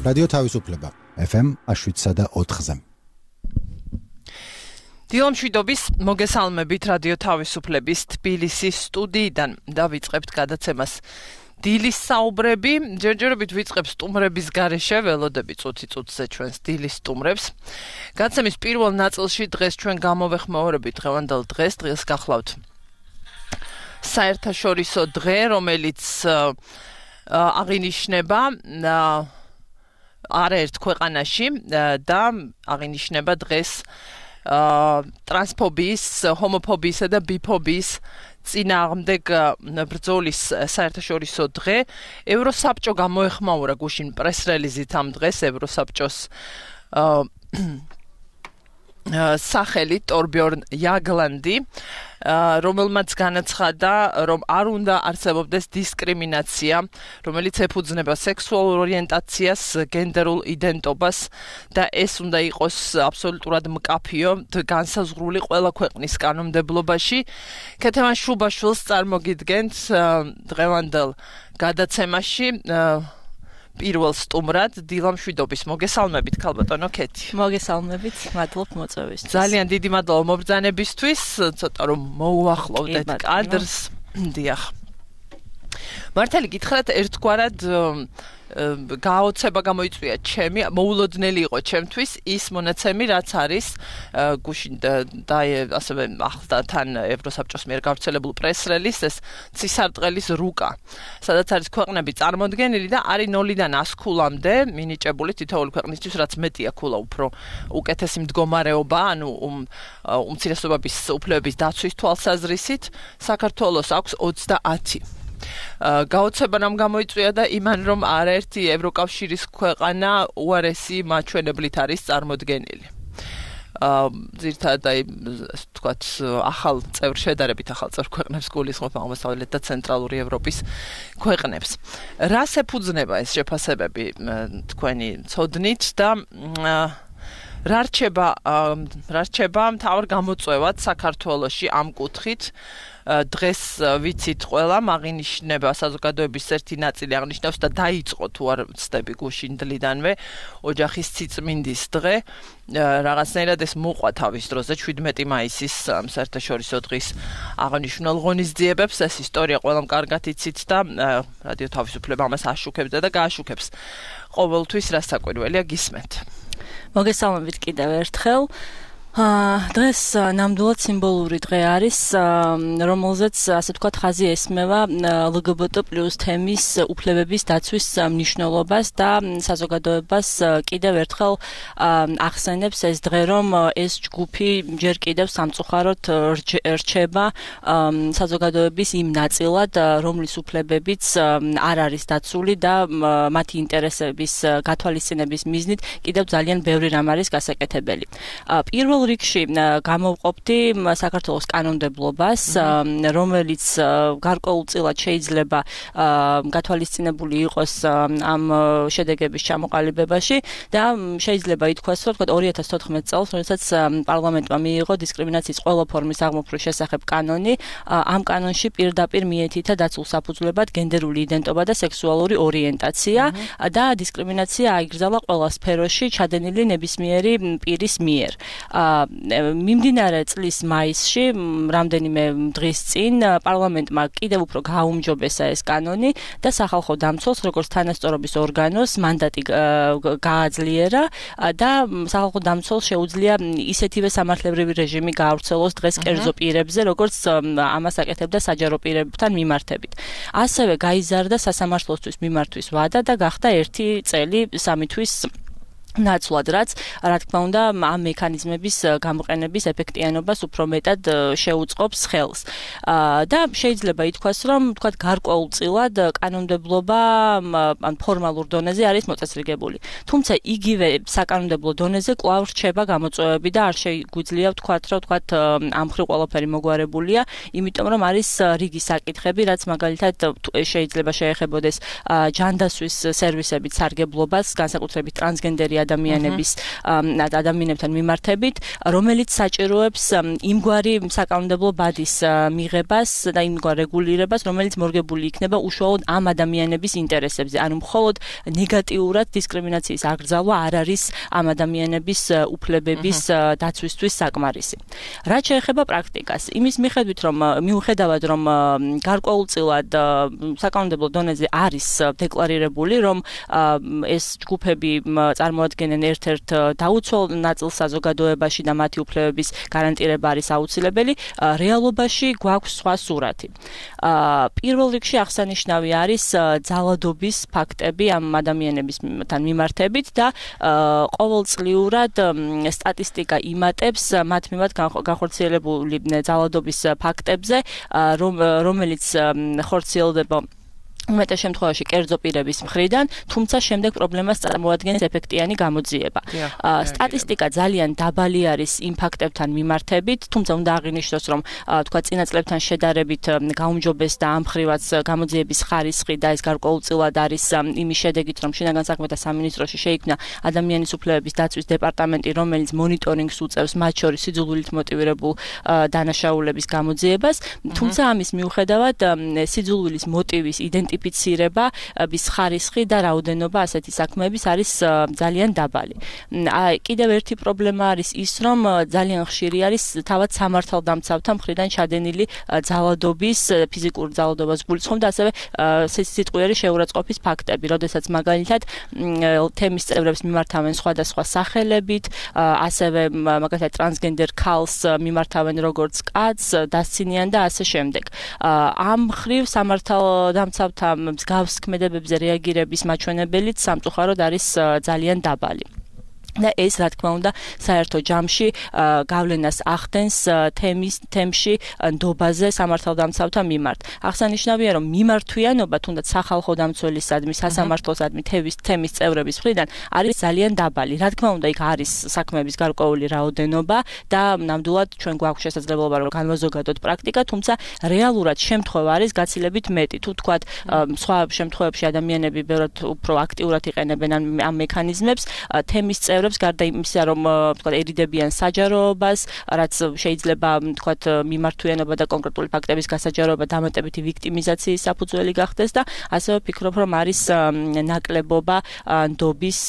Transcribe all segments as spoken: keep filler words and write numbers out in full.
რადიო თავისუფლება ეფ ემ შვიდსა და ოთხზე. დილო მშვიდობის მოგესალმებით რადიო თავისუფლების თბილისის სტუდიიდან დავიწყებთ გადაცემას დილის საუბრები. ჯერჯერობით ვიწყებ სტუმრების გარეშე, ველოდები წუთი წუთზე ჩვენს დილის სტუმრებს. გადაცემის პირველ ნაწილში დღეს ჩვენ გამოვეხმაურებით დღევანდელ დღეს, დღეს გახლავთ საერთაშორისო დღე, რომელიც აღინიშნება არაერთ ქვეყანაში და აღინიშნება დღეს ტრანსფობიის, ჰომოფობიისა და ბიფობიის წინააღმდეგ ბრძოლის საერთაშორისო დღე. ევროსაბჭო გამოეხმაურა გუშინ პრეს-რელიზით ამ დღეს ევროსაბჭოს სახელი ტორბიორნ იაგლანდი, რომელმაც განაცხადა, რომ არ უნდა არსებობდეს დისკრიმინაცია, რომელიც ეფუძნება სექსუალურ ორიენტაციას, გენდერულ იდენტობას და ეს უნდა იყოს აბსოლუტურად მკაფიო, განსაზღვრული ყველა ქვეყნის კანონმდებლობაში. ქეთევან შუბაშვილს წარმოგიდგენთ დღევანდელ გადაცემაში პირველ სტუმრად დილო მშვიდობის. მოგესალმებით ქალბატონო ქეთი. მოგესალმებით, მადლობ მოწვევისთვის. ძალიან დიდი მადლობა მობრძანებისთვის, ცოტა რომ მოუახლოვდეთ კადრს. დიახ. მართალი გითხრათ, ერთგვარად გაოცება გამოიწვია ჩემი, მოულოდნელი იყო ჩემთვის ის მონაცემი, რაც არის გუშინ და ასევე ახლა თან ევროსაბჭოს მიერ გავრცელებულ პრეს-რელიზს, ეს ცისარტყელის რუკა, სადაც არის ქვეყნები წარმოდგენილი და არის ნოლიდან ას ქულამდე მინიჭებული თითოეული ქვეყნისთვის, რაც მეტია ქულა, უფრო უკეთესი მდგომარეობა, ანუ უმცირესობების უფლებების დაცვის თვალსაზრისით, საქართველოს აქვს ოცდაათი. გაოცება რამ გამოიწვია და იმან, რომ არაერთი ევროკავშირის ქვეყანა უარესი მაჩვენებლით არის წარმოდგენილი. ძირითადად აი თქვათ ახალ წევრ შედარებით ახალ წევრ ქვეყნებს გულისხმობ აღმოსავლეთ და ცენტრალური ევროპის ქვეყნებს. რას ეფუძნება ეს შეფასებები თქვენი ცოდნით და რა რჩება რა რჩება მთავარ გამოწვევად საქართველოში ამ კუთხით? დღეს ვიცით ყველა, აღინიშნება საზოგადოების ერთი ნაწილი აღნიშნავს და დაიწყო თუ არ ვცდები გუშინ დლიდანვე ოჯახის სიწმინდის დღე. რაღაცნაირად ეს მოყვა თავის დროზე შვიდმეტი მაისის საერთაშორისო დღის აღნიშნულ ღონისძიებებს. ეს ისტორია ყველამ კარგად იცით და რადიო თავისუფლება ამას აშუქებდა და გააშუქებს ყოველთვის, რა საკვირველია გისმენთ. მოგესალმებით კიდევ ერთხელ. დღეს ნამდვილად სიმბოლური დღე არის, რომელზეც ასე ვთქვათ ხაზი ესმევა ელ გი ბი ტი პლუს თემის უფლებების დაცვის მნიშვნელობას და საზოგადოებას კიდევ ერთხელ ახსენებს ეს დღე, რომ ეს ჯგუფი ჯერ კიდევ სამწუხაროდ რჩება საზოგადოების იმ ნაწილად, რომლის უფლებებიც არ არის დაცული და მათი ინტერესების გათვალისწინების მიზნით კიდევ ძალიან ბევრი რამ არის გასაკეთებელი. პირველ რიგში გამოვყოფდი საქართველოს კანონმდებლობას, რომელიც გარკვეულწილად შეიძლება გათვალისწინებული იყოს ამ შედეგების ჩამოყალიბებაში და შეიძლება ითქვას, რომ თქვა ორი ათას თოთხმეტ წელს, როდესაც პარლამენტმა მიიღო დისკრიმინაციის ყველა ფორმის აღმოფხრის შესახებ კანონი, ამ კანონში პირდაპირ მიეთითა დაცულ საფუძვლებად გენდერული იდენტობა და სექსუალური ორიენტაცია და დისკრიმინაცია აიგრძალა ყველა სფეროში ჩადენილი ნებისმიერი პირის მიერ. მიმდინარე წლის მაისში, რამდენიმე დღის წინ, პარლამენტმა კიდევ უფრო გააუმჯობესა ეს კანონი და სახალხო დამცველს, როგორც თანასწორობის ორგანოს, მანდატი გააძლიერა და სახალხო დამცველს შეუძლია ისეთივე სამართლებრივი რეჟიმი გაავრცელოს დღეს კერძო პირებზე, როგორც ამას აკეთებდა საჯარო პირებთან მიმართებით. ასევე გაიზარდა სასამართლოსთვის მიმართვის ვადა და გახდა ერთი წელი სამი თვის ნაცვლად, რაც რა თქმა უნდა ამ მექანიზმების გამოყენების ეფექტიანობას უფრო მეტად შეუწყობს ხელს. და შეიძლება ითქვას, რომ თქვათ გარკვეულწილად კანონმდებლობა ან ფორმალურ დონეზე არის მოწესრიგებული. თუმცა იგივე საკანონმდებლო დონეზე კვლავ რჩება გამოწვევები და არ შეგვიძლია ვთქვათ, რომ ვთქვათ ამ მხრივ ყველაფერი მოგვარებულია, იმიტომ რომ არის რიგი საკითხები, რაც მაგალითად შეიძლება შეეხებოდეს ჯანდაცვის სერვისებით სარგებლობას, განსაკუთრებით ტრანსგენდერი ადამიანების ადამიანებთან მიმართებით, რომელიც საჭიროებს იმგვარი საკანონმდებლო ბადის მიღებას და იმგვარ რეგულირებას, რომელიც მორგებული იქნება უშუალოდ ამ ადამიანების ინტერესებზე. ანუ მხოლოდ ნეგატიურად დისკრიმინაციის აკრძალვა არ არის ამ ადამიანების უფლებების დაცვისთვის საკმარისი. რაც შეეხება პრაქტიკას, იმის მიხედვით, რომ მიუხედავად რომ გარკვეულწილად საკანონმდებლო დონეზე არის დეკლარირებული, რომ ეს ჯგუფები წარმოადგენენ ერთ-ერთ დაუცველ ნაწილს საზოგადოებაში და მათი უფლებების გარანტირება არის აუცილებელი, რეალობაში გვაქვს სხვა სურათი. პირველ რიგში აღსანიშნავი არის ძალადობის ფაქტები ამ ადამიანებისთან მიმართებით და ყოველწლიურად სტატისტიკა იმატებს მათ მიმართ განხორციელებული ძალადობის ფაქტებზე, რომელიც ხორციელდება უმეტეს შემთხვევაში კერძო პირების მხრიდან, თუმცა შემდეგ პრობლემას წარმოადგენს ეფექტიანი გამოძიება. სტატისტიკა ძალიან დაბალი არის იმ ფაქტებთან მიმართებით, თუმცა უნდა აღინიშნოს, რომ თქვა წინა წლებთან შედარებით გაუმჯობესდა ამ მხრივაც გამოძიების ხარისხი და ეს გარკვეულწილად არის იმის შედეგით, რომ შინაგან საქმეთა სამინისტროში შეიქმნა ადამიანის უფლებების დაცვის დეპარტამენტი, რომელიც მონიტორინგს უწევს მათ შორის სიძულვილით მოტივირებულ დანაშაულების გამოძიებას, თუმცა ამის მიუხედავად სიძულვილის მოტივის იდენტიფიკაცია ფიცირების ხარისხი და რაოდენობა ასეთი საქმეების არის ძალიან დაბალი. კიდევ ერთი პრობლემა არის ის, რომ ძალიან ხშირი არის თავად სამართალდამცავთა მხრიდან ჩადენილი ძალადობის, ფიზიკური ძალადობას გულისხმობ და ასევე სიტყვიერი შეურაცხყოფის ფაქტები, როდესაც მაგალითად თემის წევრებს მიმართავენ სხვადასხვა სახელებით, ასევე მაგალითად ტრანსგენდერ ქალს მიმართავენ როგორც კაცს, დასცინიან და ასე შემდეგ. ამ მხრივ სამართალდამცავთა მსგავს ქმედებებზე რეაგირების მაჩვენებელიც სამწუხაროდ არის ძალიან დაბალი. და ეს რა თქმა უნდა საერთო ჯამში გავლენას ახდენს თემის თემში ნდობაზე სამართალდამცავთა მიმართ. აღსანიშნავია, რომ მიმართვიანობა თუნდაც სახალხო დამცველისადმი, სასამართლოსადმი თემის თემის წევრების მხრიდან არის ძალიან დაბალი. რა თქმა უნდა, იქ არის საქმეების გარკვეული რაოდენობა და ნამდვილად ჩვენ გვაქვს შესაძლებლობა რომ განვაზოგადოთ პრაქტიკა, თუმცა რეალურად შემთხვევა არის გაცილებით მეტი. თუ თქვათ სხვა შემთხვევებში ადამიანები ბევრად უფრო აქტიურად იყენებენ ამ მექანიზმებს, თემის წევრები გარდა იმისა, რომ თქვა ერიდებიან საჯაროებას, რაც შეიძლება თქვა მიმართვიანობა და კონკრეტული ფაქტების გასაჯაროება დამატებითი ვიქტიმიზაციის საფუძველი გახდეს და ასევე ვფიქრობ, რომ არის ნაკლებობა ნდობის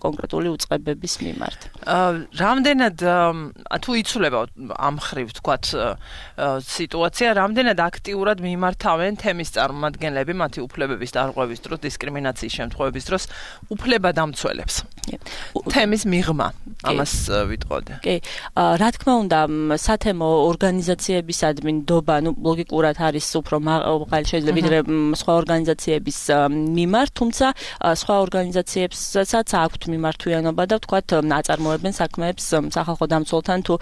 კონკრეტული უწყებების მიმართ. რამდენად თუ იცვლება ამ ხრივ თქვა სიტუაცია, რამდენად აქტიურად მიმართავენ თემის წარმომადგენლები მათი უფლებების დარღვევის დროს, დისკრიმინაციის შემთხვევების დროს უფლებადამცველებს. თემის მიღმა ამას ვიტყოდე. კი, რა თქმა უნდა, სათემო ორგანიზაციებისადმი ნდობა, ну, ლოგიკურად არის უფრო მაღალი შეიძლება ვიდრე სხვა ორგანიზაციების მიმართ, თუმცა სხვა ორგანიზაციებსაც აქვთ მიმართვიანობა და ვთქვათ, აწარმოებენ საქმეებს სახალხო დამცველთან თუ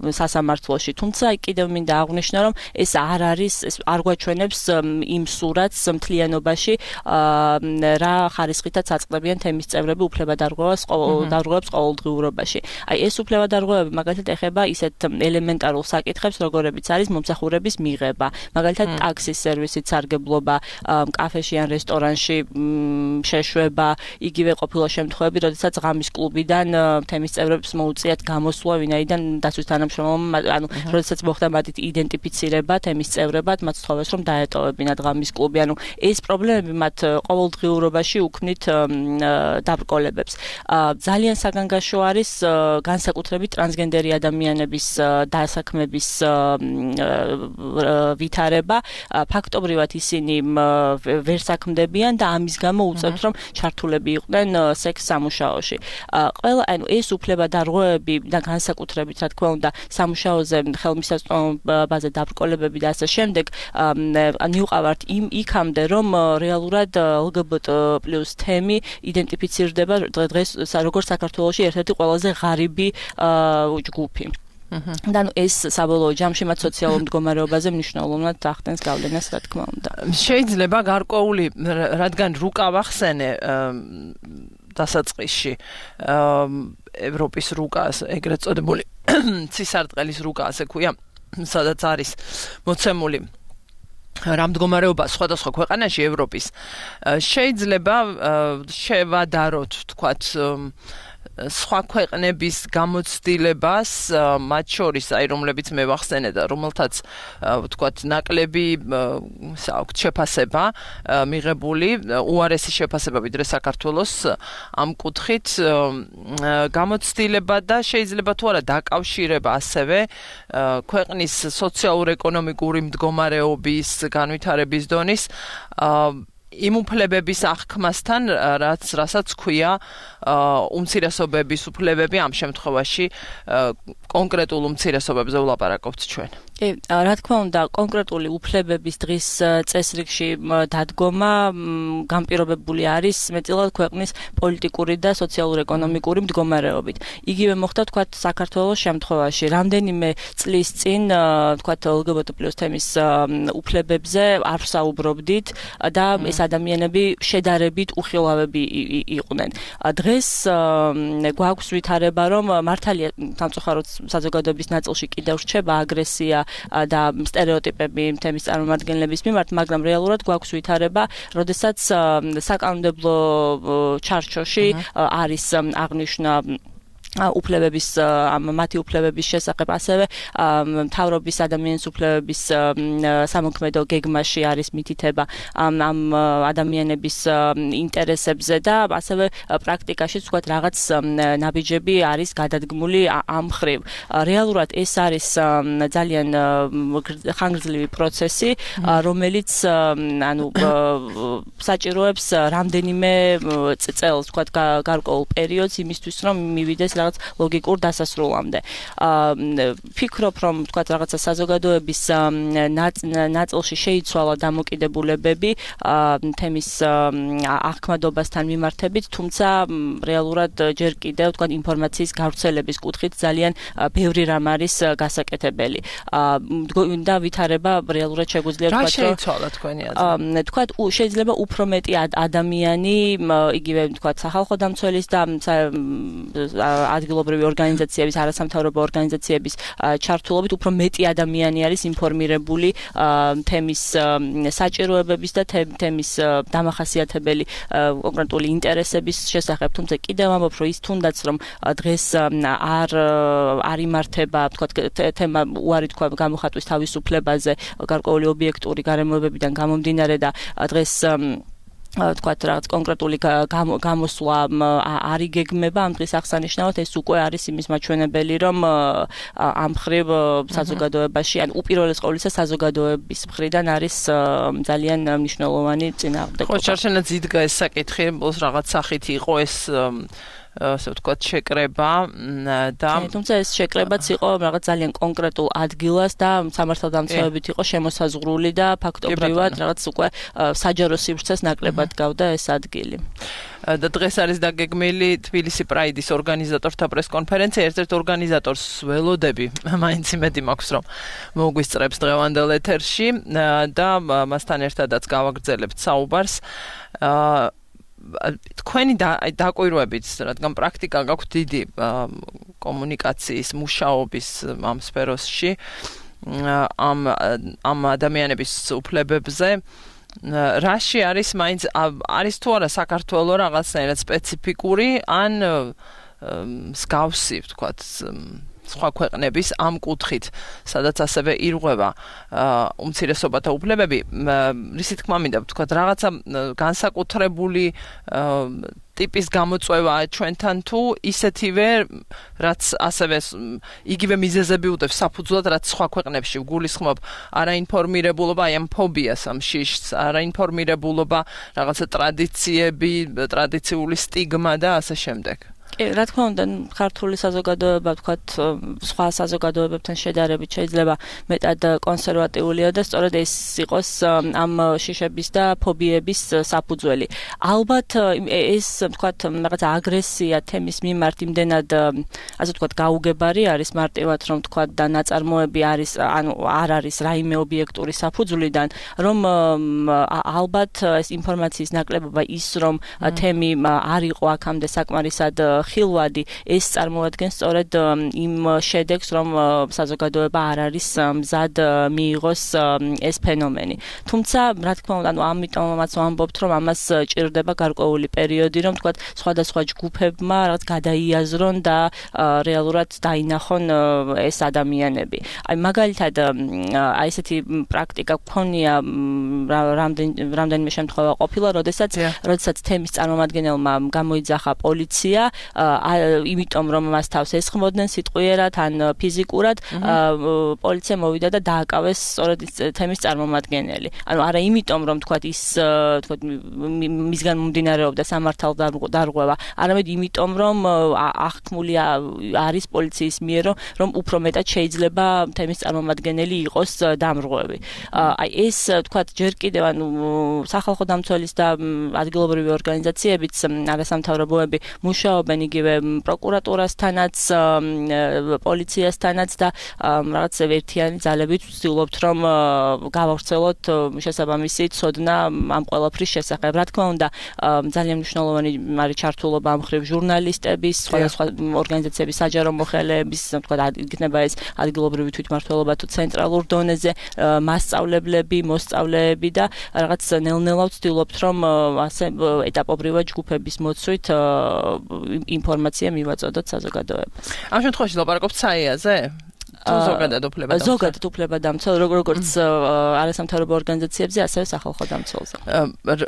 სასამართლოში. თუმცა კიდევ მინდა აღვნიშნო, რომ ეს არ არის, ეს არ გვაჩვენებს იმ სურათს მთლიანობაში, რა ხარისხითაც აწყდებიან თემის წევრები უფლებადარღვევას დარღვევებს ყოველდღიურობაში. აი ეს უფლებადარღვევები მაგალითად ეხება ისეთ ელემენტარულ საკითხებს, როგორებიც არის მომსახურების მიღება, მაგალითად ტაქსის სერვისით სარგებლობა, კაფეში ან რესტორანში შეშვება, იგივე ყოფილა შემთხვევები, როდესაც ღამის კლუბიდან თემის წევრებს მოუწიათ გამოსვლა, ვინაიდან დაცვის თანამშრომელმა, ანუ როდესაც მოხდა მათი იდენტიფიცირება თემის წევრებად, მათ სთხოვეს რომ დაეტოვებინათ ღამის კლუბი, ანუ ეს პრობლემები მათ ყოველდღიურობაში უქმნით დაბრკოლებებს. ძალიან საგანგაშო არის განსაკუთრებით ტრანსგენდერი ადამიანების დასაქმების ვითარება. ფაქტობრივად ისინი ვერ საქმდებიან და ამის გამო უწევთ, რომ ჩართულები იყვნენ სექს სამუშაოში. ყველა, ანუ ეს უფლებადარღვევები და განსაკუთრებით, რა თქმა უნდა, სამუშაოზე ხელმისაწვდომობაზე დაბრკოლებები და ასე შემდეგ, მივყავართ იმ იქამდე, რომ რეალურად ელ გი ბი ტი პლუს თემი იდენტიფიცირდება დღეს როგორც საქართველოში ერთ-ერთი ყველაზე ღარიბი ჯგუფი. და ნუ ეს საბოლოო ჯამში მათ სოციალურ მდგომარეობაზე მნიშვნელოვნად ახდენს გავლენას, რა თქმა უნდა. შეიძლება გარკვეული, რადგან რუკა ვახსენე დასაწყისში ევროპის რუკა, ეგრეთ წოდებული ცისარტყელის რუკა, ასე ქვია, სადაც არის მოცემული რამდგომარეობა სხვადასხვა ქვეყანაში ევროპის შეიძლება შევადაროთ თქვათ სხვა ქვეყნების გამოცდილებას მათ შორის აი რომლებიც მე ვახსენე და რომელთაც ვთქვათ ნაკლები საუბრ შეფასება მიღებული უარესი შეფასება ვიდრე საქართველოს ამ კუთხით გამოცდილება და შეიძლება თუ არა დაკავშირება ასევე ქვეყნის სოციალურ-ეკონომიკური მდგომარეობის განვითარების დონის იმ უფლებების აღქმასთან, რაც რასაც ქვია უმცირესობების უფლებები ამ შემთხვევაში კონკრეტულ უმცირესობებზე ვლაპარაკობთ ჩვენ. კი, რა თქმა უნდა, კონკრეტული უფლებების დღის წესრიგში დადგომა განპირობებული არის მეტწილად ქვეყნის პოლიტიკური და სოციალურ-ეკონომიკური მდგომარეობით. იგივე მოხდა თქვათ საქართველოს შემთხვევაში. რამდენიმე წლის წინ თქვათ ელ გი ბი ტი პლუს თემის უფლებებზე არ ვსაუბრობდით და ეს ადამიანები შედარებით უხილავები იყვნენ. დღეს გვაქვს ვითარება, რომ მართალია სამწუხაროდ საზოგადოების ნაწილში კიდევ რჩება აგრესია და სტერეოტიპები თემის წარმომადგენლების მიმართ, მაგრამ რეალურად გვაქვს ვითარება, როდესაც საკანონმდებლო ჩარჩოში არის აღნიშნა უფლებების მათი უფლებების შესახებ ასევე მთავრობის ადამიანის უფლებების სამოქმედო გეგმაში არის მითითება ამ ადამიანების ინტერესებზე და ასევე პრაქტიკაში თქვათ რაღაც ნაბიჯები არის გადადგმული ამ მხრივ. რეალურად ეს არის ძალიან ხანგრძლივი პროცესი, რომელიც ანუ საჭიროებს რამდენიმე წელს თქვათ გარკვეულ პერიოდს იმისთვის რომ მივიდეს რაღაც ლოგიკურ დასასრულამდე. ფიქრობ, რომ თქვათ რაღაცა საზოგადოების ნაწილში შეიცვალა დამოკიდებულებები თემის აღქმადობასთან მიმართებით, თუმცა რეალურად ჯერ კიდევ თქვათ ინფორმაციის გავრცელების კუთხით ძალიან ბევრი რამ არის გასაკეთებელი. და ვითარება რეალურად შეგვიძლია თქვათ, რომ რა შეიცვალა თქვენი აზრით? თქვათ შეიძლება უფრო მეტი ადამიანი, იგივე თქვათ სახალხო დამცველის და ადგილობრივი ორგანიზაციების, არასამთავრობო ორგანიზაციების ჩართულობით უფრო მეტი ადამიანი არის ინფორმირებული თემის საჭიროებების და თემის დამახასიათებელი კონკრეტული ინტერესების შესახებ. თუმცა კიდევ ამბობ, რომ ის თუნდაც რომ დღეს არ არ იმართება, თქვათ თემა უარი თქვა გამოხატვის თავისუფლებაზე გარკვეული ობიექტური გარემოებებიდან გამომდინარე და დღეს თქვათ რაღაც კონკრეტული გამოსვლა არ იგეგმება ამ დღის აღსანიშნავად, ეს უკვე არის იმის მაჩვენებელი, რომ ამ მხრივ საზოგადოებაში, ან უპირველეს ყოვლისა საზოგადოების მხრიდან არის ძალიან მნიშვნელოვანი წინააღმდეგობა. ხო, შარშანაც იდგა ეს საკითხი, ბოლოს რაღაც სახით იყო ეს ასე ვთქვათ შეკრება და თუმცა ეს შეკრებაც იყო რაღაც ძალიან კონკრეტულ ადგილას და სამართალდამცავებით იყო შემოსაზღვრული და ფაქტობრივად რაღაც უკვე საჯარო სივრცეს ნაკლებად გავდა ეს ადგილი. და დღეს არის დაგეგმილი თბილისი პრაიდის ორგანიზატორთა პრესკონფერენცია. ერთ-ერთ ორგანიზატორს ველოდები, მაინც იმედი მაქვს, რომ მოგვისწრებს დღევანდელ ეთერში და მასთან ერთადაც გავაგრძელებთ საუბარს. თქვენი დაკვირვებით, რადგან პრაქტიკა გაქვთ დიდი კომუნიკაციის მუშაობის ამ სფეროში, ამ ამ ადამიანების უფლებებზე, რაში არის მაინც არის თუ არა საქართველოს რაღაცნაირად სპეციფიკური ან მსგავსი, ვთქვათ, სხვა ქვეყნების ამ კუთხით, სადაც ასევე ირღვევა უმცირესობათა უფლებები, რისი თქმა მინდა ვთქვათ, რაღაცა განსაკუთრებული ტიპის გამოწვევა ჩვენთან თუ ისეთივე, რაც ასევე იგივე მიზეზები უდევს საფუძვლად, რაც სხვა ქვეყნებში ვგულისხმობ, არაინფორმირებულობა, აი ამ ფობიას, ამ შიშს, არაინფორმირებულობა, რაღაცა ტრადიციები, ტრადიციული სტიგმა და ასე შემდეგ. რა თქმა უნდა, ქართული საზოგადოება, ვთქვათ, სხვა საზოგადოებებთან შედარებით შეიძლება მეტად კონსერვატიულია და სწორედ ეს იყოს ამ შიშების და ფობიების საფუძველი. ალბათ ეს, ვთქვათ, რაღაც აგრესია თემის მიმართ იმდენად, ასე ვთქვათ, გაუგებარი არის მარტივად, რომ ვთქვათ, და ნაწარმოები არის, ანუ არ არის რაიმე ობიექტური საფუძვლიდან, რომ ალბათ ეს ინფორმაციის ნაკლებობა ის, რომ თემი არ იყო აქამდე საკმარისად ხილვადი ეს წარმოადგენს სწორედ იმ შედეგს, რომ საზოგადოება არ არის მზად მიიღოს ეს ფენომენი. თუმცა, რა თქმა უნდა, ანუ ამიტომაც ვამბობთ, რომ ამას ჭირდება გარკვეული პერიოდი, რომ თქვათ, სხვადასხვა ჯგუფებმა რაღაც გადაიაზრონ და რეალურად დაინახონ ეს ადამიანები. აი მაგალითად, აი ესეთი პრაქტიკა გქონია რამდენიმე შემთხვევა ყოფილა, როდესაც როდესაც თემის წარმომადგენელმა გამოიძახა პოლიცია, იმიტომ რომ მას თავს ესხმოდნენ სიტყვიერად ან ფიზიკურად, პოლიცია მოვიდა და დააკავეს სწორედ თემის წარმომადგენელი. ანუ არა იმიტომ რომ თქვათ ის თქვათ მისგან მომდინარეობდა სამართალდარღვევა, არამედ იმიტომ რომ აღქმული არის პოლიციის მიერ, რომ უფრო მეტად შეიძლება თემის წარმომადგენელი იყოს დამრღვევი. აი ეს თქვათ ჯერ კიდევ ანუ სახალხო დამცველის და ადგილობრივი ორგანიზაციებიც არასამთავრობოები მუშაობენ იგივე პროკურატურასთანაც, პოლიციასთანაც და რაღაც ერთიანი ძალებით ვცდილობთ რომ გავავრცელოთ შესაბამისი ცოდნა ამ ყველაფრის შესახებ. რა თქმა უნდა, ძალიან მნიშვნელოვანი არის ჩართულობა ამ მხრივ ჟურნალისტების, სხვადასხვა ორგანიზაციების, საჯარო მოხელეების, თქვათ იქნება ეს ადგილობრივი თვითმმართველობა თუ ცენტრალურ დონეზე, მასწავლებლები, მოსწავლეები და რაღაც ნელ-ნელა ვცდილობთ რომ ასე ეტაპობრივად ჯგუფების მოცვით ინფორმაცია მივაწოდოთ საზოგადოებას. ამ შემთხვევაში ლაპარაკობთ საიაზე? ზოგადად უფლებადამცველ. ზოგადად უფლებადამცველ, როგორც არასამთავრობო ორგანიზაციებზე, ასევე სახალხო დამცველზე.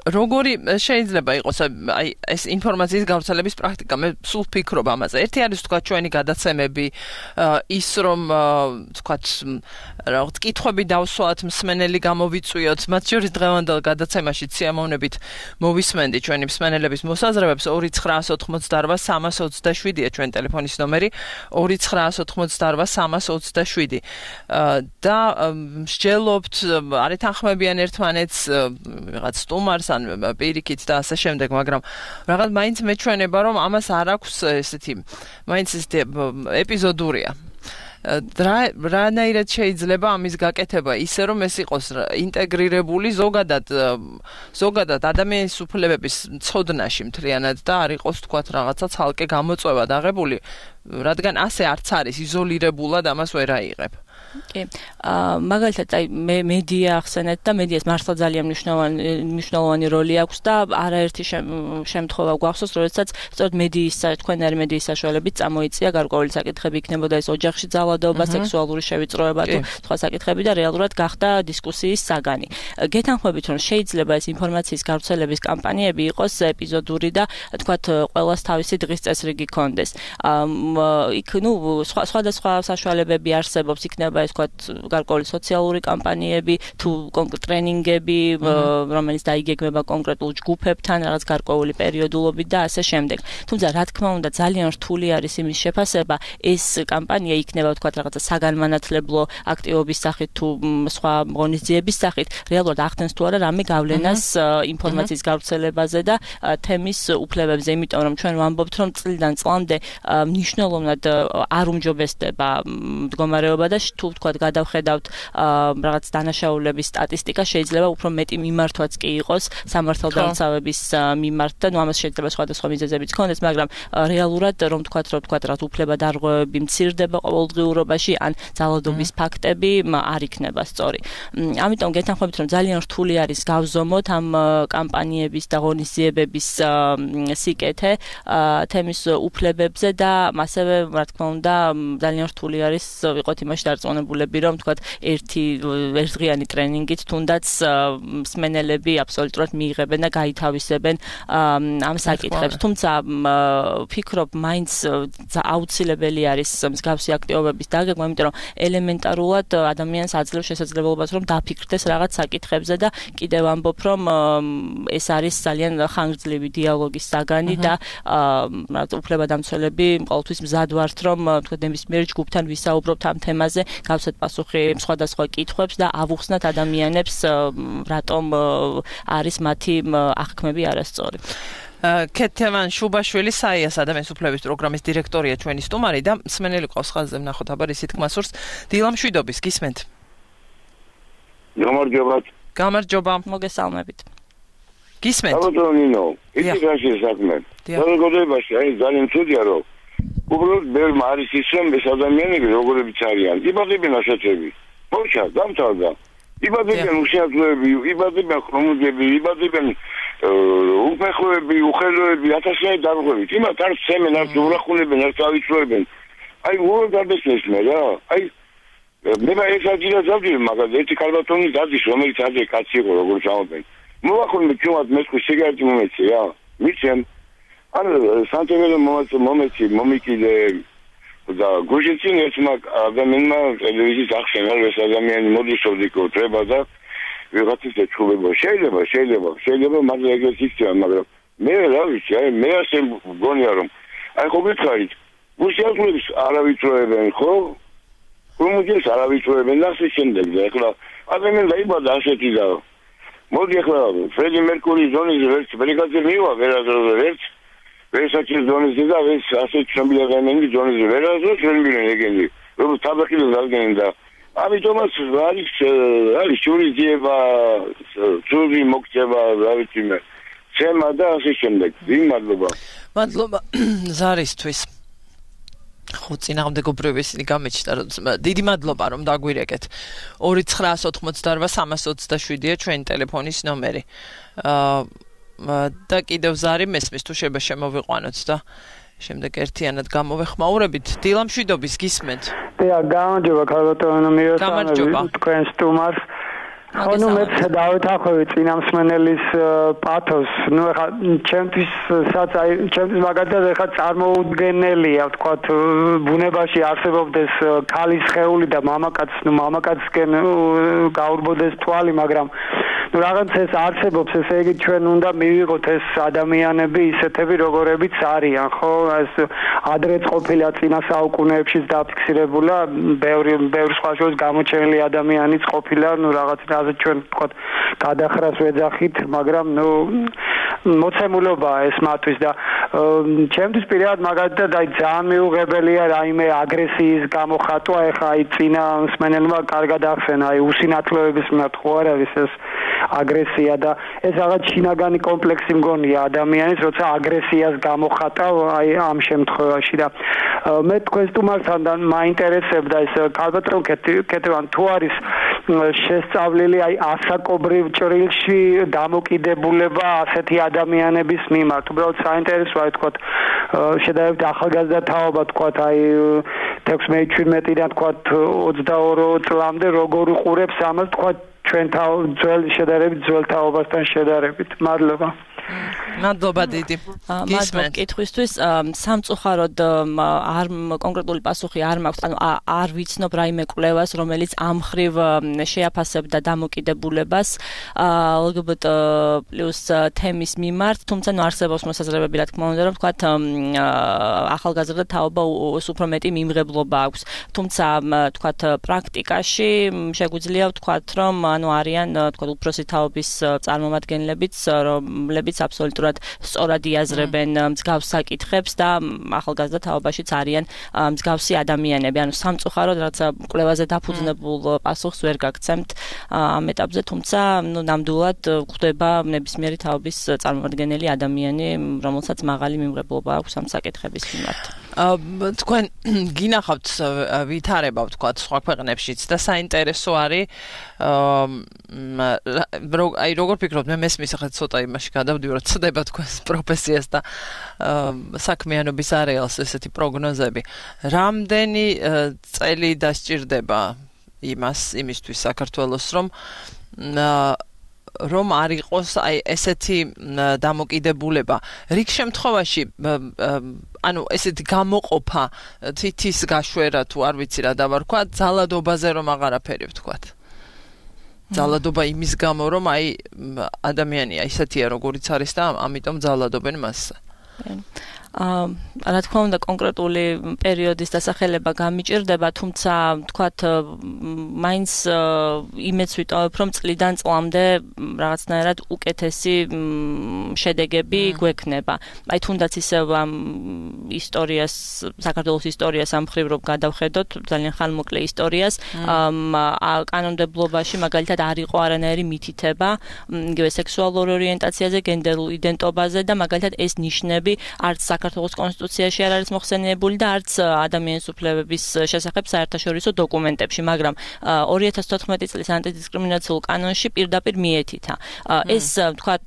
როგორი შეიძლება იყოს აი ეს ინფორმაციის გავრცელების პრაქტიკა? მე სულ ვფიქრობ ამაზე. ერთი არის თქვა ჩვენი გადაცემები, ის რომ თქვათ რაღაც კითხვები დავსვათ, მსმენელი გამოვიწვიოთ, მათ შორის დღევანდელ გადაცემაში სიამოვნებით მოვისმენდი ჩვენი მსმენელების მოსაზრებებს. ორი ცხრაას ოთხმოცდაოთხ სამას ოცდაშვიდია ჩვენ ტელეფონის ნომერი, ორი ცხრაას ოთხმოცდაოთხ სამას ოცდაშვიდი და მსჯელობთ, არ ეთანხმებიან ერთმანეთს, რაღაც სტუმარს ან პირიქით და ასე შემდეგ, მაგრამ რაღაც მაინც მეჩვენება, რომ ამას არ აქვს ესეთი, მაინც ესეთი ეპიზოდურია. რანაირად შეიძლება ამის გაკეთება ისე რომ ეს იყოს ინტეგრირებული ზოგადად ზოგადად ადამიანის უფლებების ცოდნაში მთლიანად და არ იყოს თქვათ რაღაცა ცალკე გამოწვევა დაღებული, რადგან ასე არც არის იზოლირებულად ამას ვერ აიღებ. კი. მაგალითად, აი მე მედია ახსენეთ და მედიას მართლა ძალიან მნიშვნელოვანი მნიშვნელოვანი როლი აქვს და არაერთი შემთხვევა გვახსოვს, როდესაც სწორედ მედიის თქვენარი მედიის საშუალებით წამოიწია გარკვეული საკითხები, იქნებოდა ეს ოჯახში ძალადობა, სექსუალური შევიწროება თუ სხვა საკითხები და რეალურად გახდა დისკუსიის საგანი. გეთანხმებით, რომ შეიძლება ეს ინფორმაციის გავრცელების კამპანიები იყოს ეპიზოდური და თქვათ ყველას თავისი დღის წესრიგი კონდეს. იქ ნუ სხვადასხვა საშუალებები არსებობს, იქნება ეს თქვათ გარკვეული სოციალური კამპანიები თუ კონკრეტ ტრენინგები, რომელიც დაიგეგმება კონკრეტულ ჯგუფებთან რაღაც გარკვეული პერიოდულობით და ასე შემდეგ. თუმცა რა თქმა უნდა ძალიან რთული არის იმის შეფასება, ეს კამპანია იქნება თქვათ რაღაცა საგანმანათლებლო აქტივობის სახით თუ სხვა ღონისძიების სახით, რეალურად ახდენს თუ არა რამე გავლენას ინფორმაციის გავრცელებაზე და თემის უფლებებზე, იმიტომ რომ ჩვენ ვამბობთ, რომ წლიდან წლამდე მნიშვნელოვნად არ უმჯობესდება მდგომარეობა და თუ თქვათ გადავხედავთ რაღაც დანაშაულების სტატისტიკა, შეიძლება უფრო მეტი მიმართვაც კი იყოს სამართალდამცავების მიმართ და ნუ ამას შეიძლება სხვადასხვა მიზეზებიც ქონდეს, მაგრამ რეალურად რომ თქვათ, რომ თქვათ რაღაც უფლებადარღვევები მცირდება ყოველდღიურობაში ან ძალადობის ფაქტები არ იქნება სწორი. ამიტომ გეთანხმებით, რომ ძალიან რთული არის გავზომოთ ამ კამპანიების და ღონისძიებების სიკეთე თემის უფლებებზე და ასევე რა თქმა უნდა ძალიან რთული არის ვიყოთ იმაში დარწმუნებულები, რომ თქვათ ერთი ერთდღიანი ტრენინგით თუნდაც მსმენელები აბსოლუტურად მიიღებენ და გაითავისებენ ამ საკითხებს. თუმცა ვფიქრობ, მაინც აუცილებელი არის მსგავსი აქტივობების დაგეგმა, იმიტომ რომ ელემენტარულად ადამიანს აძლევს შესაძლებლობას, რომ დაფიქრდეს რაღაც საკითხებზე და კიდევ ამბობ, რომ ეს არის ძალიან ხანგრძლივი დიალოგის საგანი და უფლებადამცველები ყოველთვის მზად ვართ, რომ თქვა ნებისმიერ ჯგუფთან ვისაუბრობთ ამ თემაზე, გავცეთ პასუხი სხვადასხვა კითხვებს და ავუხსნათ ადამიანებს, რატომ არის მათი აღქმები არასწორი. კეთევან შუბაშვილი საიას ადამიანის უფლების პროგრამის დირექტორია ჩვენი სტუმარი და მსმენელი ყავს ხაზზე ვნახოთ აბა ისეთ კმასურს. დილა მშვიდობის, გისმენთ? გამარჯობა. გამარჯობა. მოგესალმებით. გისმენთ? საბატონო, იცი რა შეესაბამება. საზოგადოებაში აი ძალიან ცუდია რომ უბრალოდ ბევრი არის ის რომ ეს ადამიანები როგორებიც არიან. იბადებიან ასეთები. მოიცა, დამთავრდა. იბადებიან უშეძლოები, იბადებიან ხრომუძები, იბადებიან უფეხოები, უხელოები, ათასიანი დარღვევით. იმათ არ სცემენ, არ ურახუნებენ, არ წავიწროებენ. აი უბრალოდ არ დესმესმე რა. აი მე ეს აჯირა დავდივი, მაგრამ ერთი ქალბატონი დადის, რომელიც ადრე კაცი იყო, როგორც ამბობენ. მოვახუნე ჩვენად მესხი სიგარეტი მომეცი რა. მიცემ ან სანტემელო მომეცი, მომიკიდე და გუჟიცინ ერთმა ადამიანმა ტელევიზიის ახსენა, რომ ეს ადამიანი მოდიშოვდიკო treba და ვიღაცის ეჩუბება. შეიძლება, შეიძლება, შეიძლება მაგრამ ეგრეთ იქნება, მაგრამ მე რა ვიცი, აი მე ასე მგონია რომ აი ხო გითხარით, გუშიაზღლებს არავიწროებენ, ხო? ხომუძეს არავიწროებენ და ასე შემდეგ და ეხლა ადამიანი დაიბადა ასეთი და მოდი ეხლა ფრედი მერკურის ზონის ვერც ბრიგადზე მივა ვერაზროზე ვერც ვერსაჩის ზონის და ეს ასეთ ცნობილი ადამიანები ზონის ვერაზროს ვერ მივიდნენ ეგენი რომ თაბახილს დაგდნენ და ამიტომაც არის არის შურიძიება ძუძი მოგწევა რა ვიცი მე ცემა და ასე შემდეგ მადლობა მადლობა ზარისთვის ხო წინააღმდეგობრივი ისინი გამეჩნდა რომ დიდი მადლობა რომ დაგვირეკეთ ორი ცხრაას ოთხმოცდაორვა სამას ოცდაშვიდია ჩვენი ტელეფონის ნომერი აა და კიდევ ზარი მესმის თუ შეიძლება შემოვიყვანოთ და შემდეგ ერთიანად გამოვეხმაურებით დილა მშვიდობის გისმენთ და გამარჯობა ქალბატონო მიესალმები თქვენ სტუმარს ხო ნუ მე დავეთანხმები წინამსმენელის პათოს ნუ ეხა ჩემთვის სადაც აი ჩემთვის მაგალითად ეხა წარმოუდგენელია ვთქვათ ბუნებაში არსებობდეს ქალის სხეული და მამაკაცს ნუ მამაკაცსკენ გაურბოდეს თვალი მაგრამ ნუ რაღაც ეს არსებობს ესე იგი ჩვენ უნდა მივიღოთ ეს ადამიანები ისეთები როგორებიც არიან ხო ეს ადრეც ყოფილა წინა საუკუნეებშიც დაფიქსირებულა ბევრი ბევრი სხვა შორის გამოჩენილი ადამიანიც ყოფილა ნუ რაღაც ასე ჩვენ ვთქვათ გადახრას ვეძახით მაგრამ ნუ მოცემულობაა ეს მათთვის და ჩემთვის პირადად მაგალითად აი ძალიან მიუღებელია რაიმე აგრესიის გამოხატვა ეხა აი წინა მსმენელმა კარგად ახსენა აი უსინათლოების მიმართ ხო არ არის ეს აგრესია და ეს რაღაც შინაგანი კომპლექსი მგონია ადამიანის როცა აგრესიას გამოხატავ აი ამ შემთხვევაში და მე თქვენ სტუმართან მაინტერესებდა ეს ქალბატონ კეთევან თუ არის შესწავლილი აი ასაკობრივ ჭრილში დამოკიდებულება ასეთი ადამიანების მიმართ უბრალოდ საინტერესოა თქვათ შედარებით ახალგაზრდა თაობა თქვათ აი თექვსმეტ შვიდმეტიდან თქვათ ოცდაორი წლამდე როგორ უყურებს ამას თქვათ ჩვენ ძველ შედარებით ძველ თაობასთან შედარებით მადლობა მადლობა დიდი მადლობა კითხვისთვის სამწუხაროდ არ კონკრეტული პასუხი არ მაქვს ანუ არ ვიცნობ რაიმე კვლევას რომელიც ამ ხრივ შეაფასებდა დამოკიდებულებას ლგბტ პლუს თემის მიმართ თუმცა ნუ არსებობს მოსაზრებები რა თქმა უნდა რომ თქვათ ახალგაზრდა თაობა უფრო მეტი მიმღებლობა აქვს თუმცა თქვათ პრაქტიკაში შეგვიძლია ვთქვათ რომ ანუ არიან თქვათ უფროსი თაობის წარმომადგენლებიც რომლებიც აბსოლუტურად სწორად იაზრებენ მსგავს საკითხებს და ახალგაზრდა თაობაშიც არიან მსგავსი ადამიანები. ანუ სამწუხაროდ რაც კვლევაზე დაფუძნებულ პასუხს ვერ გაგცემთ ამ ეტაპზე, თუმცა ნუ ნამდვილად გვხვდება ნებისმიერი თაობის წარმომადგენელი ადამიანი, რომელსაც მაღალი მიმღებლობა აქვს ამ საკითხების მიმართ. თქვენ გინახავთ ვითარება ვთქვათ სხვა ქვეყნებშიც და საინტერესო არის აი როგორ ფიქრობთ მე მესმის ახლა ცოტა იმაში გადავდივარ რომ ცდება თქვენს პროფესიას და საქმიანობის არეალს ესეთი პროგნოზები რამდენი წელი დასჭირდება იმას იმისთვის საქართველოს რომ რომ არ იყოს აი ესეთი დამოკიდებულება რიგ შემთხვევაში ანუ ესეთი გამოყოფა თითის გაშვერა თუ არ ვიცი რა დავარქვა ძალადობაზე რომ აღარაფერი ვთქვათ ძალადობა იმის გამო რომ აი ადამიანია ისეთია როგორიც არის და ამიტომ ძალადობენ მასზე რა თქმა უნდა კონკრეტული პერიოდის დასახელება გამიჭირდება, თუმცა თქვათ მაინც იმეც ვიტოვებ, რომ წლიდან წლამდე რაღაცნაირად უკეთესი შედეგები გვექნება. აი თუნდაც ისევ ამ ისტორიას, საქართველოს ისტორიას ამ მხრივ რომ გადავხედოთ, ძალიან ხანმოკლე ისტორიას, კანონმდებლობაში მაგალითად არ იყო არანაირი მითითება იგივე სექსუალურ ორიენტაციაზე, გენდერულ იდენტობაზე და მაგალითად ეს ნიშნები არც საქართველოს კონსტიტუციაში არ არის მოხსენიებული და არც ადამიანის უფლებების შესახებ საერთაშორისო დოკუმენტებში, მაგრამ ორი ათას თოთხმეტი წლის ანტიდისკრიმინაციულ კანონში პირდაპირ მიეთითა. ეს თქვათ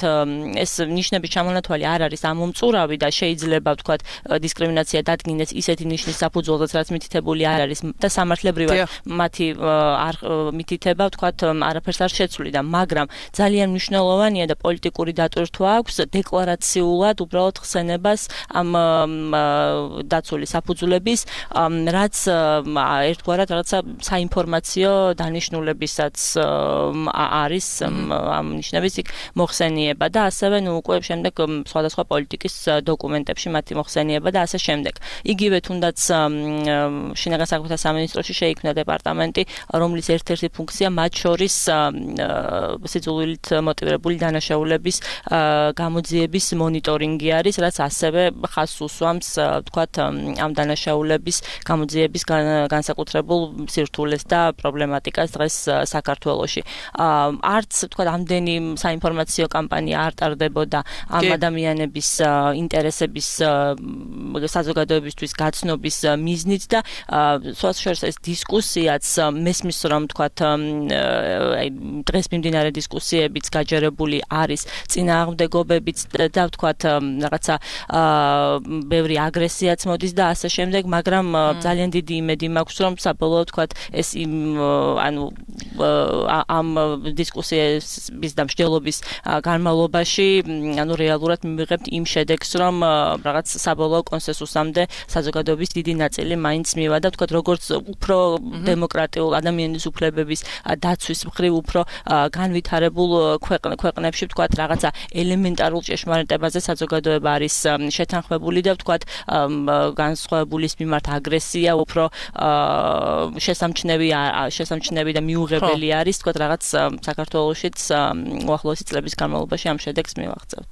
ეს ნიშნების ჩამონათვალი არ არის ამომწურავი და შეიძლება თქვათ დისკრიმინაცია დადგინდეს ისეთი ნიშნის საფუძველზეც, რაც მითითებული არ არის და სამართლებრივად მათი არ მითითება თქვათ არაფერს არ შეცვლიდა, მაგრამ ძალიან მნიშვნელოვანია და პოლიტიკური დატვირთვა აქვს დეკლარაციულად უბრალოდ ხსენებას ამ დაცული საფუძვლების, რაც ერთგვარად რაღაცა საინფორმაციო დანიშნულებისაც არის ამ ნიშნების იქ მოხსენიება და ასევე ნუ უკვე შემდეგ სხვადასხვა პოლიტიკის დოკუმენტებში მათი მოხსენიება და ასე შემდეგ. იგივე თუნდაც შინაგან საქმეთა სამინისტროში შეიქმნა დეპარტამენტი, რომლის ერთ-ერთი ფუნქცია მათ შორის სიძულვილით მოტივირებული დანაშაულების გამოძიების მონიტორინგი არის, რაც ასევე ხაზს უსვამს თქვათ ამ დანაშაულების გამოძიების განსაკუთრებულ სირთულეს და პრობლემატიკას დღეს საქართველოში. არც თქვათ ამდენი საინფორმაციო კამპანია არ ტარდებოდა ამ ადამიანების ინტერესების საზოგადოებისთვის გაცნობის მიზნით და სხვათა შორის ეს დისკუსიაც მესმის რომ თქვათ აი დღეს მიმდინარე დისკუსიებიც გაჯერებული არის წინააღმდეგობებიც და თქვათ რაღაცა ბევრი აგრესიაც მოდის და ასე შემდეგ, მაგრამ ძალიან დიდი იმედი მაქვს რომ საბოლოოდ თქვათ ეს ანუ ამ დისკუსიების და მსჯელობის განმავლობაში ანუ რეალურად მივიღებთ იმ შედეგს, რომ რაღაც საბოლოო კონსენსუსამდე საზოგადოების დიდი ნაწილი მაინც მივა და თქვათ როგორც უფრო დემოკრატიულ ადამიანის უფლებების დაცვის მხრივ უფრო განვითარებულ ქვეყნებში თქვათ რაღაცა ელემენტარულ ჭეშმარიტებაზე საზოგადოება არის შეთანხმებული და თქვათ განსხვავებულის მიმართ აგრესია უფრო შესამჩნევი შესამჩნევი და მიუღებელი არის თქვათ რაღაც საქართველოშიც უახლოესი წლების განმავლობაში ამ შედეგს მივაღწევთ.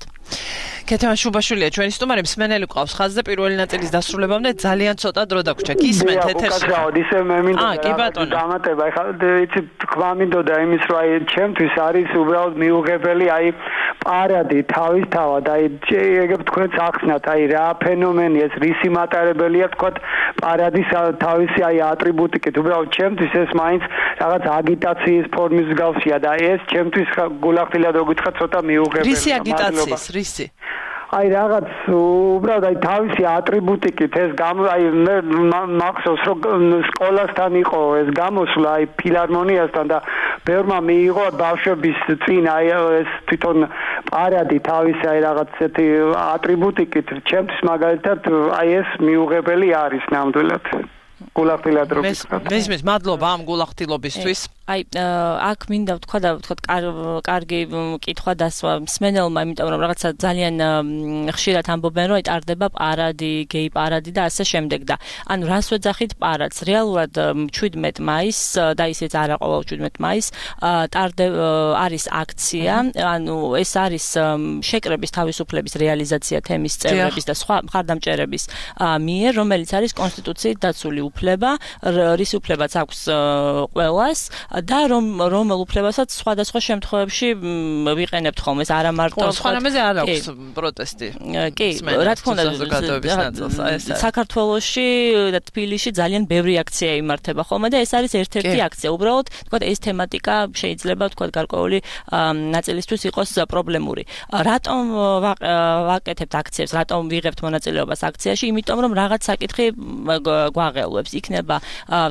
კეთემა შუბაშვილია ჩვენი სტუმარი, მსმენელი ყავს ხაზზე, პირველი ნაწილის დასრულებამდე ძალიან ცოტა დრო დაგვრჩა. გისმენთ ეთერში. უკაცრავად ისე მე მინდა დამატება, ეხლა იცი თქვა მინდოდა იმის რომ აი ჩემთვის არის უბრალოდ მიუღებელი აი პარადი თავისთავად, აი ეგ თქვენც ახსნათ, აი რა ფენომენია ეს, რისი მატარებელია თქვათ პარადის თავისი აი ატრიბუტიკით, უბრალოდ ჩემთვის ეს მაინც რაღაც აგიტაციის ფორმის მსგავსია და ეს ჩემთვის გულახდილად რო გითხრა ცოტა მიუღებელია. რისი აგიტაციის, რისი? აი რაღაც უბრალოდ აი თავისი ატრიბუტიკით ეს გამო აი მე მახსოვს რომ სკოლასთან იყო ეს გამოსვლა აი ფილარმონიასთან და ბევრმა მიიღო ბავშვების წინ აი ეს თვითონ პარადი თავისი აი რაღაც ესეთი ატრიბუტიკით ჩემთვის მაგალითად აი ეს მიუღებელი არის ნამდვილად. გულახდილად რო გითხრათ. მესმის მადლობა ამ გულახდილობისთვის. აი აქ მინდა ვთქვა და ვთქვა კარგი კითხვა დასვა მსმენელმა, იმიტომ რომ რაღაცა ძალიან ხშირად ამბობენ რომ ტარდება პარადი, გეი პარადი და ასე შემდეგ და ანუ რას ვეძახით პარადს? რეალურად შვიდმეტ მაისს და ისეც არა ყოველ შვიდმეტ მაისს ტარდება არის აქცია, ანუ ეს არის შეკრების თავისუფლების რეალიზაცია თემის წევრების და სხვა მხარდამჭერების მიერ, რომელიც არის კონსტიტუციით დაცული უფლება, რის უფლებაც აქვს ყველას და რომ რომელ უფლებასაც სხვადასხვა შემთხვევებში ვიყენებთ ხოლმე, ეს არა მარტო სხვა რამეზე არ აქვს პროტესტი. კი, რა თქმა უნდა, საქართველოში და თბილისში ძალიან ბევრი აქცია იმართება ხოლმე და ეს არის ერთ-ერთი აქცია. უბრალოდ, თქვა ეს თემატიკა შეიძლება თქვა გარკვეული ნაწილისთვის იყოს პრობლემური. რატომ ვაკეთებთ აქციებს, რატომ ვიღებთ მონაწილეობას აქციაში? იმიტომ რომ რაღაც საკითხი გვაღელვებს. იქნება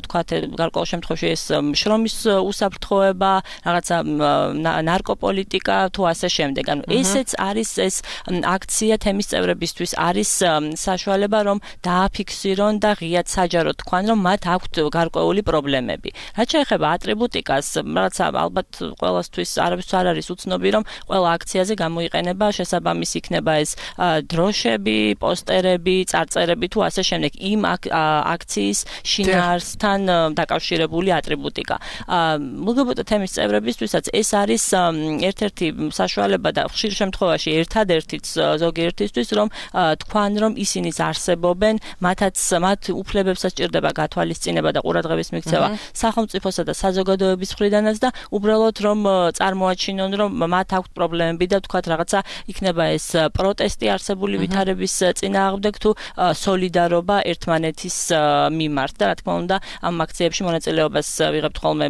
თქვა გარკვეულ შემთხვევაში ეს შრომის უსაფრთხოება, რაღაცა ნარკოპოლიტიკა თუ ასე შემდეგ. ანუ ესეც არის ეს აქცია თემის წევრებისთვის არის საშუალება რომ დააფიქსირონ და ღიად საჯაროდ თქვან რომ მათ აქვთ გარკვეული პრობლემები. რაც შეეხება ატრიბუტიკას, რაღაცა ალბათ ყველასთვის არავის არ არის უცნობი რომ ყველა აქციაზე გამოიყენება შესაბამისი იქნება ეს დროშები, პოსტერები, წარწერები თუ ასე შემდეგ იმ აქციის შინაარსთან დაკავშირებული ატრიბუტიკა. ლგბტ თემის წევრებისთვისაც ეს არის ერთ-ერთი საშუალება და ხშირ შემთხვევაში ერთადერთიც ზოგიერთისთვის რომ თქვან რომ ისინიც არსებობენ, მათაც მათ უფლებებსაც ჭირდება გათვალისწინება და ყურადღების მიქცევა სახელმწიფოსა და საზოგადოების მხრიდანაც და უბრალოდ რომ წარმოაჩინონ რომ მათ აქვთ პრობლემები და თქვათ რაღაცა იქნება ეს პროტესტი არსებული ვითარების წინააღმდეგ თუ სოლიდარობა ერთმანეთის მიმართ და რა თქმა უნდა ამ აქციებში მონაწილეობას ვიღებთ ხოლმე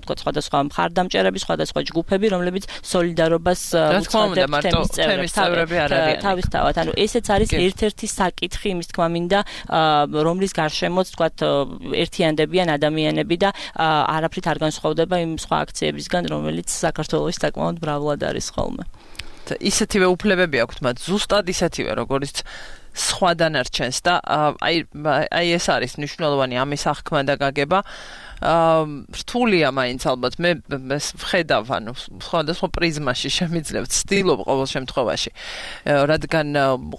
თქვათ სხვადასხვა მხარდამჭერები, სხვადასხვა ჯგუფები, რომლებიც სოლიდარობას უცხადებთ თემის წევრები არ არიან. თავისთავად, ანუ ესეც არის ერთ-ერთი საკითხი იმის თქმა მინდა, რომლის გარშემოც თქვათ ერთიანდებიან ადამიანები და არაფრით არ განსხვავდება იმ სხვა აქციებისგან, რომელიც საქართველოში საკმაოდ მრავლად არის ხოლმე. ისეთივე უფლებები აქვთ მათ, ზუსტად ისეთივე, როგორც სხვა დანარჩენს და აი აი ეს არის მნიშვნელოვანი ამის აღქმა და გაგება. რთულია მაინც ალბათ მე ვხედავ ანუ სხვადასხვა პრიზმაში შემიძლია ვცდილობ ყოველ შემთხვევაში რადგან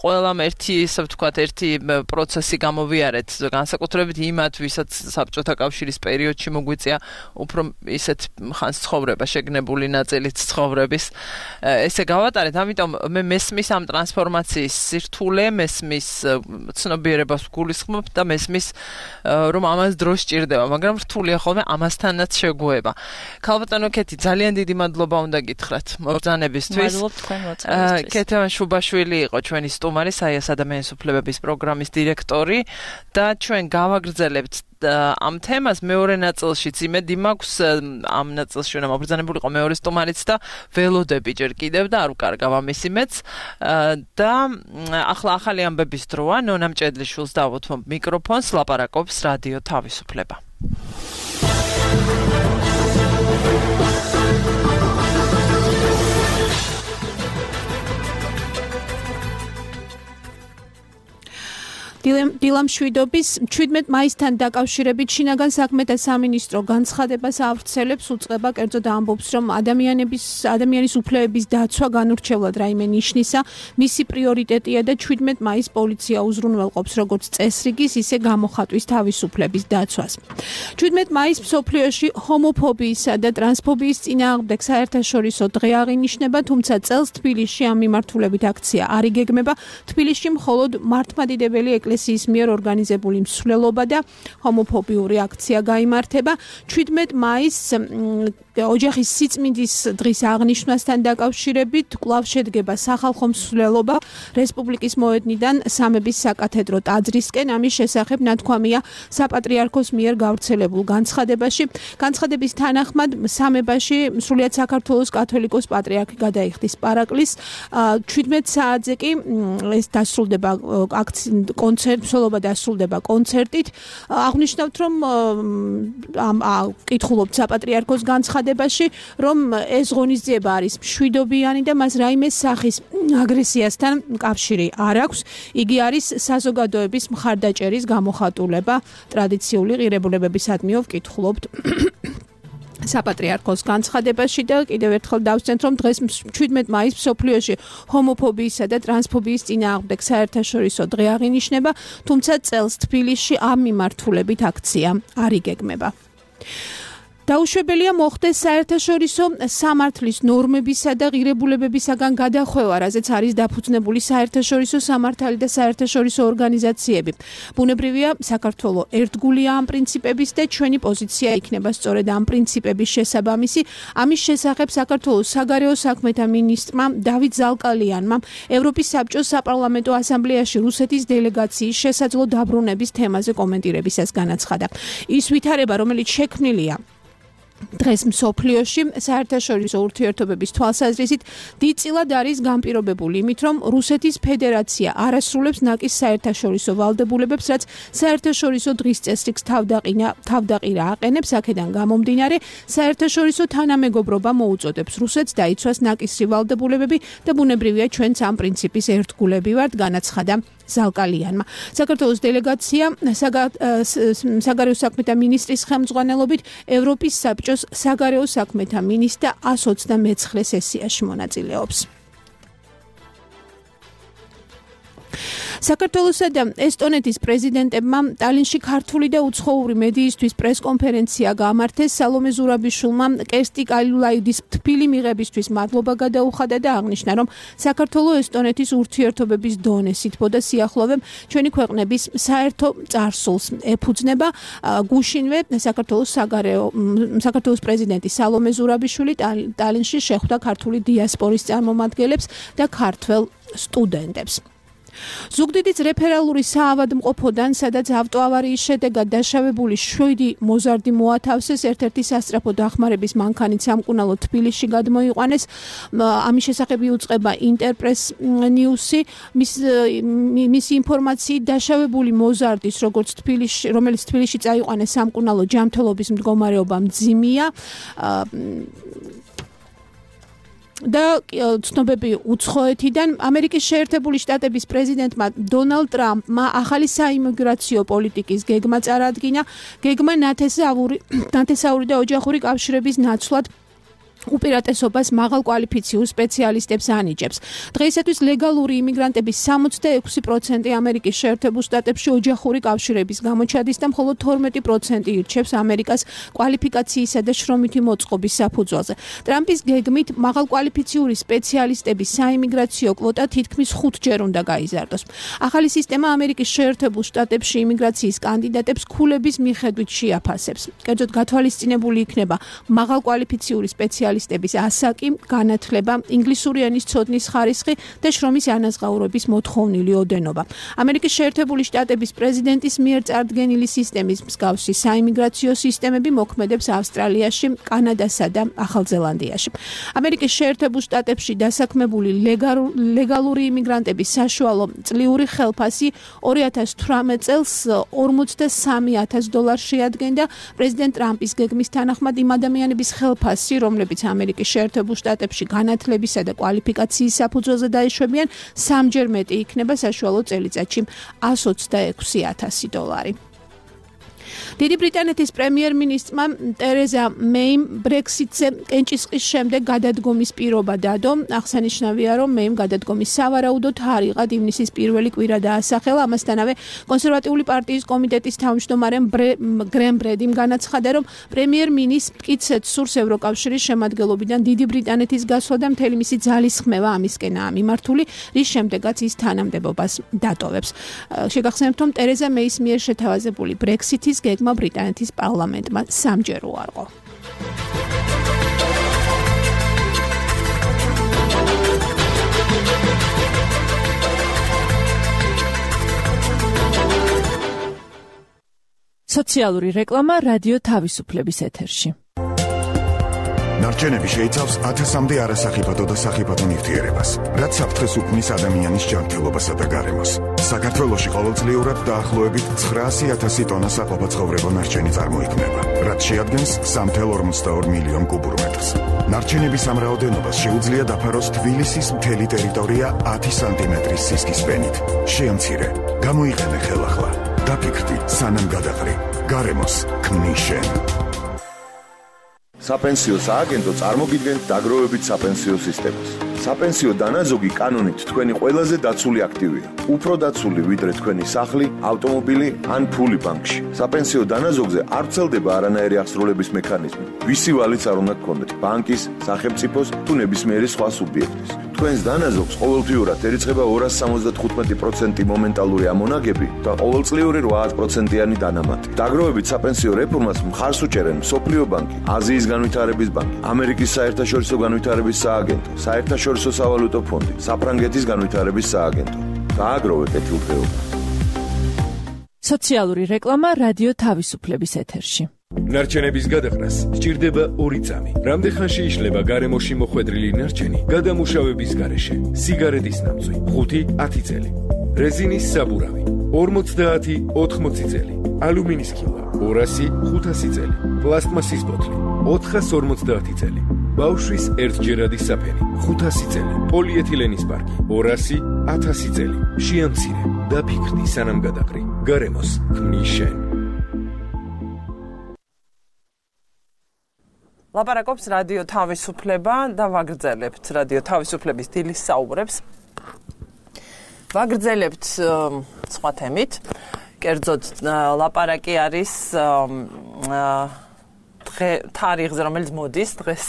ყველამ ერთი ისე ვთქვათ ერთი პროცესი გამოვიარეთ განსაკუთრებით იმათ ვისაც საბჭოთა კავშირის პერიოდში მოგვიწია უფრო ისეთ ხანს ცხოვრება შეგნებული ნაწილით ცხოვრების ესე გავატარეთ ამიტომ მე მესმის ამ ტრანსფორმაციის სირთულე მესმის ცნობიერებას გულისხმობ და მესმის რომ ამას დრო სჭირდება მაგრამ რთული ხოლმე ამასთანაც შეგვეება. ქალბატონო კეთი, ძალიან დიდი მადლობა უნდა გითხრათ მობრძანებისთვის. მადლობ თქვენ მოწვევისთვის. კეთევან შუბაშვილი იყო ჩვენი სტუმარი, საიას ადამიანის უფლებების პროგრამის დირექტორი და ჩვენ გავაგრძელებთ ამ თემას მეორე ნაწილშიც იმედი მაქვს ამ ნაწილში უნდა მობრძანებულიყო მეორე სტუმარიც და ველოდები ჯერ კიდევ და არ ვკარგავ ამის იმედს და ახლა ახალი ამბების დროა ნონა მჭედლიშვილს დავუთმობ მიკროფონს ლაპარაკობს რადიო თავისუფლება. დილამ შვიდობის შვიდმეტ მაისთან დაკავშირებით შინაგან საქმეთა სამინისტრო განცხადებას ავრცელებს უწყება კერძოდ ამბობს რომ ადამიანების ადამიანის უფლებების დაცვა განურჩევლად რაიმე ნიშნისა მისი პრიორიტეტია და შვიდმეტ მაისს პოლიცია უზრუნველყოფს როგორც წესრიგის ისე გამოხატვის თავისუფლების დაცვას. შვიდმეტ მაისს მსოფლიოში ჰომოფობიისა და ტრანსფობიის წინააღმდეგ საერთაშორისო დღე აღინიშნება, თუმცა წელს თბილისში ამ მიმართულებით აქცია არ იგეგმება. თბილისში მხოლოდ მართლმადიდებელი ეკლესიის მიერ ორგანიზებული მსვლელობა და ჰომოფობიური აქცია გაიმართება. შვიდმეტ მაისს ოჯახის სიწმინდის დღის აღნიშვნასთან დაკავშირებით კვლავ შედგება სახალხო მსვლელობა რესპუბლიკის მოედნიდან სამების საკათედრო ტაძრისკენ. ამის შესახებ ნათქვამია საპატრიარქოს მიერ გავრცელებულ განცხადებაში. განცხადების თანახმად სამებაში სრულიად საქართველოს კათოლიკოს პატრიარქი გადაიხდის პარაკლის. შვიდმეტ საათზე კი ეს დასრულდება კონცერტ, მსვლელობა დასრულდება კონცერტით. აღნიშნავთ, რომ ამ კითხულობთ საპატრიარქოს განცხადებაში რომ ეს ღონისძიება არის მშვიდობიანი და მას რაიმე სახის აგრესიასთან კავშირი არ აქვს. იგი არის საზოგადოების მხარდაჭერის გამოხატულება ტრადიციული ღირებულებებისადმიო ვკითხულობთ საპატრიარქოს განცხადებაში და კიდევ ერთხელ დავსვენთ რომ დღეს შვიდმეტ მაისს მსოფლიოში ჰომოფობიისა და ტრანსფობიის წინააღმდეგ საერთაშორისო დღე აღინიშნება, თუმცა წელს თბილისში ამ მიმართულებით აქცია არ იგეგმება. დაუშვებელია მოხდეს საერთაშორისო სამართლის ნორმებისა და ღირებულებებისაგან გადახვევა, რაზეც არის დაფუძნებული საერთაშორისო სამართალი და საერთაშორისო ორგანიზაციები. ბუნებრივია, საქართველო ერთგულია ამ პრინციპების და ჩვენი პოზიცია იქნება სწორედ ამ პრინციპების შესაბამისი. ამის შესახებ საქართველოს საგარეო საქმეთა მინისტრმა დავით ზალკალიანმა ევროპის საბჭოს საპარლამენტო ასამბლეაში რუსეთის დელეგაციის შესაძლო დაბრუნების თემაზე კომენტირებისას განაცხადა. ის ვითარება, რომელიც შექმნილია დღეს მსოფლიოში საერთაშორისო ურთიერთობების თვალსაზრისით დიდწილად არის განპირობებული იმით, რომ რუსეთის ფედერაცია არასრულებს ნაკის საერთაშორისო ვალდებულებებს, რაც საერთაშორისო დღის წესრიგს თავდაყინა თავდაყირა აყენებს, აქედან გამომდინარე, საერთაშორისო თანამეგობრობა მოუწოდებს რუსეთს დაიცვას ნაკისრი ვალდებულებები და ბუნებრივია ჩვენც ამ პრინციპის ერთგულები ვართ, განაცხადა ზალკალიანმა. საქართველოს დელეგაცია საგარეო საქმეთა მინისტრის ხელმძღვანელობით ევროპის საბჭოს საგარეო საქმეთა მინისტრთა ას ოცდამეცხრე სესიაში მონაწილეობს. საქართველოსა და ესტონეთის პრეზიდენტებმა ტალინში ქართული და უცხოური მედიისთვის პრესკონფერენცია გაამართეს. სალომე ზურაბიშვილმა კერსტი კალულაიდის თბილი მიღებისთვის მადლობა გადაუხადა და აღნიშნა, რომ საქართველო-ესტონეთის ურთიერთობების დონე სითბო და სიახლოვე ჩვენი ქვეყნების საერთო წარსულს ეფუძნება. გუშინვე საქართველოს საგარეო საქართველოს პრეზიდენტი სალომე ზურაბიშვილი ტალინში შეხვდა ქართული დიასპორის წარმომადგენლებს და ქართველ სტუდენტებს. ზუგდიდის რეფერალური საავადმყოფოდან, სადაც ავტოავარიის შედეგად დაშავებული შვიდი მოზარდი მოათავსეს, ერთ-ერთი სასწრაფო დახმარების მანქანით სამკურნალო თბილისში გადმოიყვანეს. ამის შესახებ იუწყება ინტერპრეს ნიუსი. მის მისი ინფორმაციით დაშავებული მოზარდის, როგორც თბილისში, რომელიც თბილისში წაიყვანეს სამკურნალო ჯანმრთელობის მდგომარეობა მძიმეა. და ცნობები უცხოეთიდან ამერიკის შეერთებული შტატების პრეზიდენტმა დონალდ ტრამპმა ახალი საიმიგრაციო პოლიტიკის გეგმა წარადგინა. გეგმა ნათესაური ნათესაური და ოჯახური კავშირების ნაცვლად უპირატესობას მაღალ კვალიფიციურ სპეციალისტებს ანიჭებს. დღეისათვის ლეგალური იმიგრანტების სამოცდაექვსი პროცენტი ამერიკის შეერთებულ შტატებში ოჯახური კავშირების გამოჩადის და მხოლოდ თორმეტი პროცენტი ირჩევს ამერიკას კვალიფიკაციისა და შრომითი მოწყობის საფუძველზე. ტრამპის გეგმით მაღალ კვალიფიციური სპეციალისტების საიმიგრაციო კვოტა თითქმის ხუთჯერ უნდა გაიზარდოს. ახალი სისტემა ამერიკის შეერთებულ შტატებში იმიგრაციის კანდიდატებს ქულების მიხედვით შეაფასებს. კერძოდ გათვალისწინებული იქნება მაღალ კვალიფიციური სპეციალისტების ასაკი, განათლება, ინგლისური ენის ცოდნის ხარისხი და შრომის ანაზღაურების მოთხოვნილი ოდენობა. ამერიკის შეერთებული შტატების პრეზიდენტის მიერ წარდგენილი სისტემის მსგავსი საიმიგრაციო სისტემები მოქმედებს ავსტრალიაში, კანადასა და ახალ ზელანდიაში. ამერიკის შეერთებულ შტატებში დასაქმებული ლეგალური იმიგრანტების საშუალო წლიური ხელფასი ორი ათას თვრამეტ წელს ორმოცდასამი ათას დოლარს შეადგენდა. პრეზიდენტ ტრამპის გეგმის თანახმად იმ ადამიანების ხელფასი, რომლებიც ამერიკის შეერთებულ შტატებში განათლებისა და კვალიფიკაციის საფუძველზე დაეშვებიან, სამჯერ მეტი იქნება საშუალო წელიწადში ას ოცდაექვსი ათასი დოლარი. დიდი ბრიტანეთის პრემიერ-მინისტრმა ტერეზა მეიმ ბრექსიტზე კენჭისყრის შემდეგ გადადგომის პირობა დადო. აღსანიშნავია, რომ მეიმ გადადგომის სავარაუდოდ არიღად ივნისის პირველი კვირა დაასახელა. ამასთანავე კონსერვატიული პარტიის კომიტეტის თავმჯდომარემ გრემ ბრედიმ განაცხადა, რომ პრემიერ-მინისტრ მტკიცედ სურს ევროკავშირის შემადგენლობიდან დიდი ბრიტანეთის გასვლა და მთელი მისი ძალისხმევა ამისკენაა მიმართული, რის შემდეგაც ის თანამდებობას დატოვებს. შეგახსენებთ, რომ ტერეზა მეის მიერ შეთავაზებული ბრექსიტის გეგმა ბრიტანეთის პარლამენტმა სამჯერ უარყო. სოციალური რეკლამა რადიო თავისუფლების ეთერში. ნარჩენები შეიცავს ათასამდე არასახიფათო და სახიფათო ნივთიერებას, რაც საფრთხეს უქმნის ადამიანის ჯანმრთელობასა და გარემოს. საქართველოში ყოველწლიურად დაახლოებით ცხრაასი ათასი ტონა საყოფაცხოვრებო ნარჩენი წარმოიქმნება, რაც შეადგენს სამი ათას ორმოცდაორი მილიონ კუბურ მეტრს. ნარჩენების ამ რაოდენობას შეუძლია დაფაროს თბილისის მთელი ტერიტორია ათი სანტიმეტრის სისქის ფენით. შეამცირე, გამოიყენე ხელახლა. დაფიქრდი, სანამ გადაყრი. გარემოს ქმნის შენ. საპენსიო სააგენტო წარმოგიდგენთ დაგროვებით საპენსიო სისტემას. საპენსიო დანაზოგი კანონით თქვენი ყველაზე დაცული აქტივია. უფრო დაცული ვიდრე თქვენი სახლი, ავტომობილი ან ფული ბანკში. საპენსიო დანაზოგზე არ ვრცელდება არანაირი აღსრულების მექანიზმი. ვისი ვალიც არ უნდა გქონდეთ, ბანკის, სახელმწიფოს თუ ნებისმიერი სხვა სუბიექტის. თქვენს დანაზოგს ყოველთვიურად ერიცხება ორასი სამოცდათხუთმეტი პროცენტი მომენტალური ამონაგები და ყოველწლიური რვა პროცენტიანი დანამატი. დაგროვებით საპენსიო რეფორმას მხარს უჭერენ მსოფლიო ბანკი, აზიის განვითარების ბანკი, ამერიკის საერთაშორისო განვითარების სააგენტო, საერთაშორისო სავალუტო ფონდი, საფრანგეთის განვითარების სააგენტო. გააგროვე კეთილდღეობა. სოციალური რეკლამა რადიო თავისუფლების ეთერში. ნარჩენების გადაყრას სჭირდება ორი წამი. რამდენხანში იშლება გარემოში მოხვედრილი ნარჩენი გადამუშავების გარეშე? სიგარეტის ნამწვი ხუთი ათი წელი. რეზინის საბურავი ორმოცდაათი ოთხმოცი წელი. ალუმინის ქილა ორასი ხუთასი წელი. პლასტმასის ბოთლი ოთხას ორმოცდაათი წელი. ბავშვის ერთჯერადი საფენი ხუთასი წელი. პოლიეთილენის პარკი ორასი ათასი წელი. შეამცირე დაფიქრდი სანამ გადაყრი. გარემოს ქმნის შენ. ლაპარაკობს რადიო თავისუფლება და ვაგრძელებთ რადიო თავისუფლების დილის საუბრებს. ვაგრძელებთ სხვა თემით. კერძოდ ლაპარაკი არის თარიღზე, რომელიც მოდის დღეს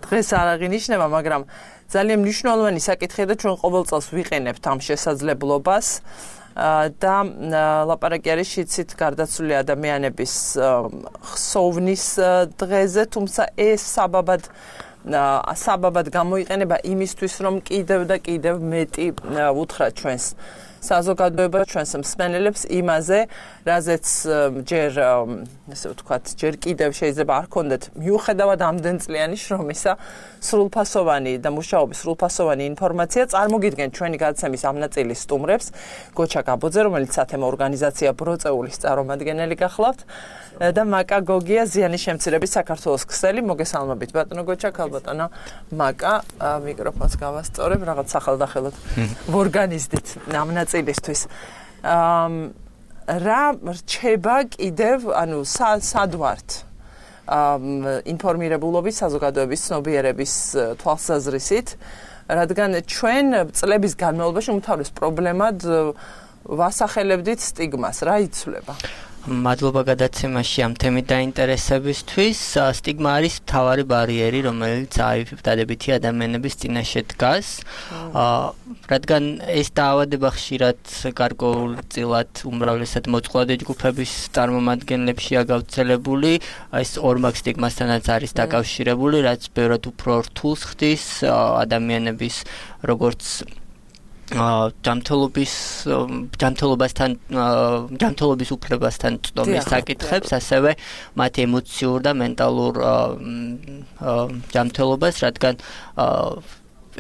დღეს არ აღინიშნება, მაგრამ ძალიან მნიშვნელოვანი საკითხია და ჩვენ ყოველ წელს ვიყენებთ ამ შესაძლებლობას და ლაპარაკი არის შიცით გარდაცვლილი ადამიანების ხსოვნის დღეზე, თუმცა ეს საბაბად საბაბად გამოიყენება იმისთვის, რომ კიდევ და კიდევ მეტი უთხრათ ჩვენს საზოგადოებას, ჩვენს მსმენელებს იმაზე, რაზეც ჯერ ესე ვთქვათ, ჯერ კიდევ შეიძლება არ ქონდეთ მიუხედავად ამდენ წლიანი შრომისა, სრულფასოვანი და მუშაობის სრულფასოვანი ინფორმაცია. წარმოგიდგენთ ჩვენი გადაცემის ამ ნაწილის სტუმრებს, გოჩა გაბოძე, რომელიც სათემო ორგანიზაცია ბროწეულის წარმომადგენელი გახლავთ, და მაკა გოგია, ზიანის შემცირების საქართველოს ქსელი. მოგესალმებით ბატონო გოჩა, ქალბატონო მაკა, მიკროფონს გავასწორებ, რაღაც სახელდახელოდ ვორგანიზდით ამ ნაწილისთვის. რა რჩება კიდევ, ანუ სად ვართ ინფორმირებულობის, საზოგადოების ცნობიერების თვალსაზრისით, რადგან ჩვენ წლების განმავლობაში უმთავრეს პრობლემად ვასახელებდით სტიგმას. რა იცვლება? მადლობა გადაცემაში ამ თემით დაინტერესებისთვის. სტიგმა არის მთავარი ბარიერი, რომელიც დადებითი ადამიანების წინაშე დგას, რადგან ეს დაავადება ხშირად გარკვეულწილად უმრავლესად მოწყვლადი ჯგუფების წარმომადგენლებშია გავრცელებული. ეს ორმაგ სტიგმასთანაც არის დაკავშირებული, რაც ბევრად უფრო რთულს ხდის ადამიანების როგორც ჯანმრთელობის ჯანმრთელობასთან ჯანმრთელობის უფლებასთან წვდომის საკითხებს, ასევე მათ ემოციურ და მენტალურ ჯანმრთელობას, რადგან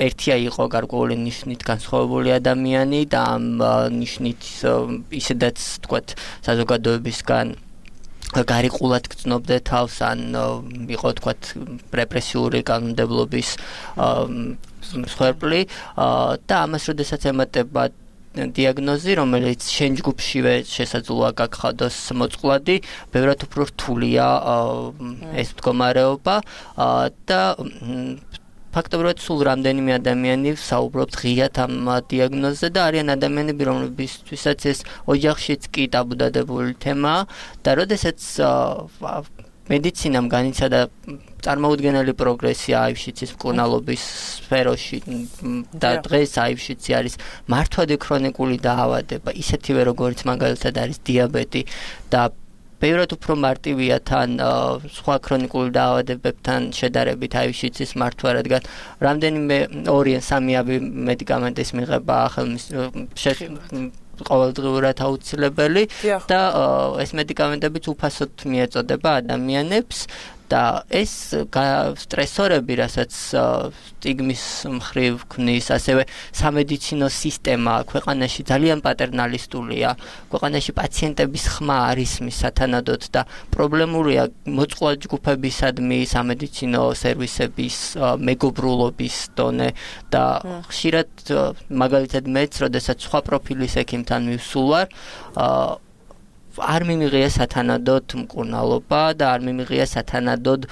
ერთია იყო გარკვეული ნიშნით განსხვავებული ადამიანი და ამ ნიშნით ისედაც თქვათ საზოგადოებისგან გარიყულად გრძნობდა თავს, ან იყო თქვათ რეპრესიული კანონმდებლობის მსხვერპლი და ამას როდესაც ემატება დიაგნოზი, რომელიც შენ ჯგუფშივე შესაძლოა გაგხადოს მოწყვლადი, ბევრად უფრო რთულია ეს მდგომარეობა და ფაქტობრივად სულ რამდენიმე ადამიანი საუბრობთ ღიად ამ დიაგნოზზე და არიან ადამიანები, რომლებისთვისაც ეს ოჯახშიც კი ტაბუდადებული თემაა და როდესაც მედიცინამ განიცადა წარმოუდგენელი პროგრესი აივშიცის მკურნალობის სფეროში და დღეს აივშიცი არის მართვადი ქრონიკული დაავადება, ისეთივე როგორც მაგალითად არის დიაბეტი და ბევრად უფრო მარტივია თან სხვა ქრონიკული დაავადებებთან შედარებით აივშიცის მართვა, რადგან რამდენიმე ორი ან სამიავი მედიკამენტის მიღება ყოველდღიურად აუცილებელი და ეს მედიკამენტებიც უფასოდ მიეწოდება ადამიანებს და ეს სტრესორები, რასაც სტიგმის მხრივ ქმნის, ასევე სამედიცინო სისტემა ქვეყანაში ძალიან პატერნალისტულია. ქვეყანაში პაციენტების ხმა არის მის სათანადოდ და პრობლემურია მოწყვლად ჯგუფებისადმი სამედიცინო სერვისების მეგობრულობის დონე და ხშირად მაგალითად მეც, როდესაც სხვა პროფილის ექიმთან მივსულ ვარ, არ მიმიღია სათანადოდ მკურნალობა და არ მიმიღია სათანადოდ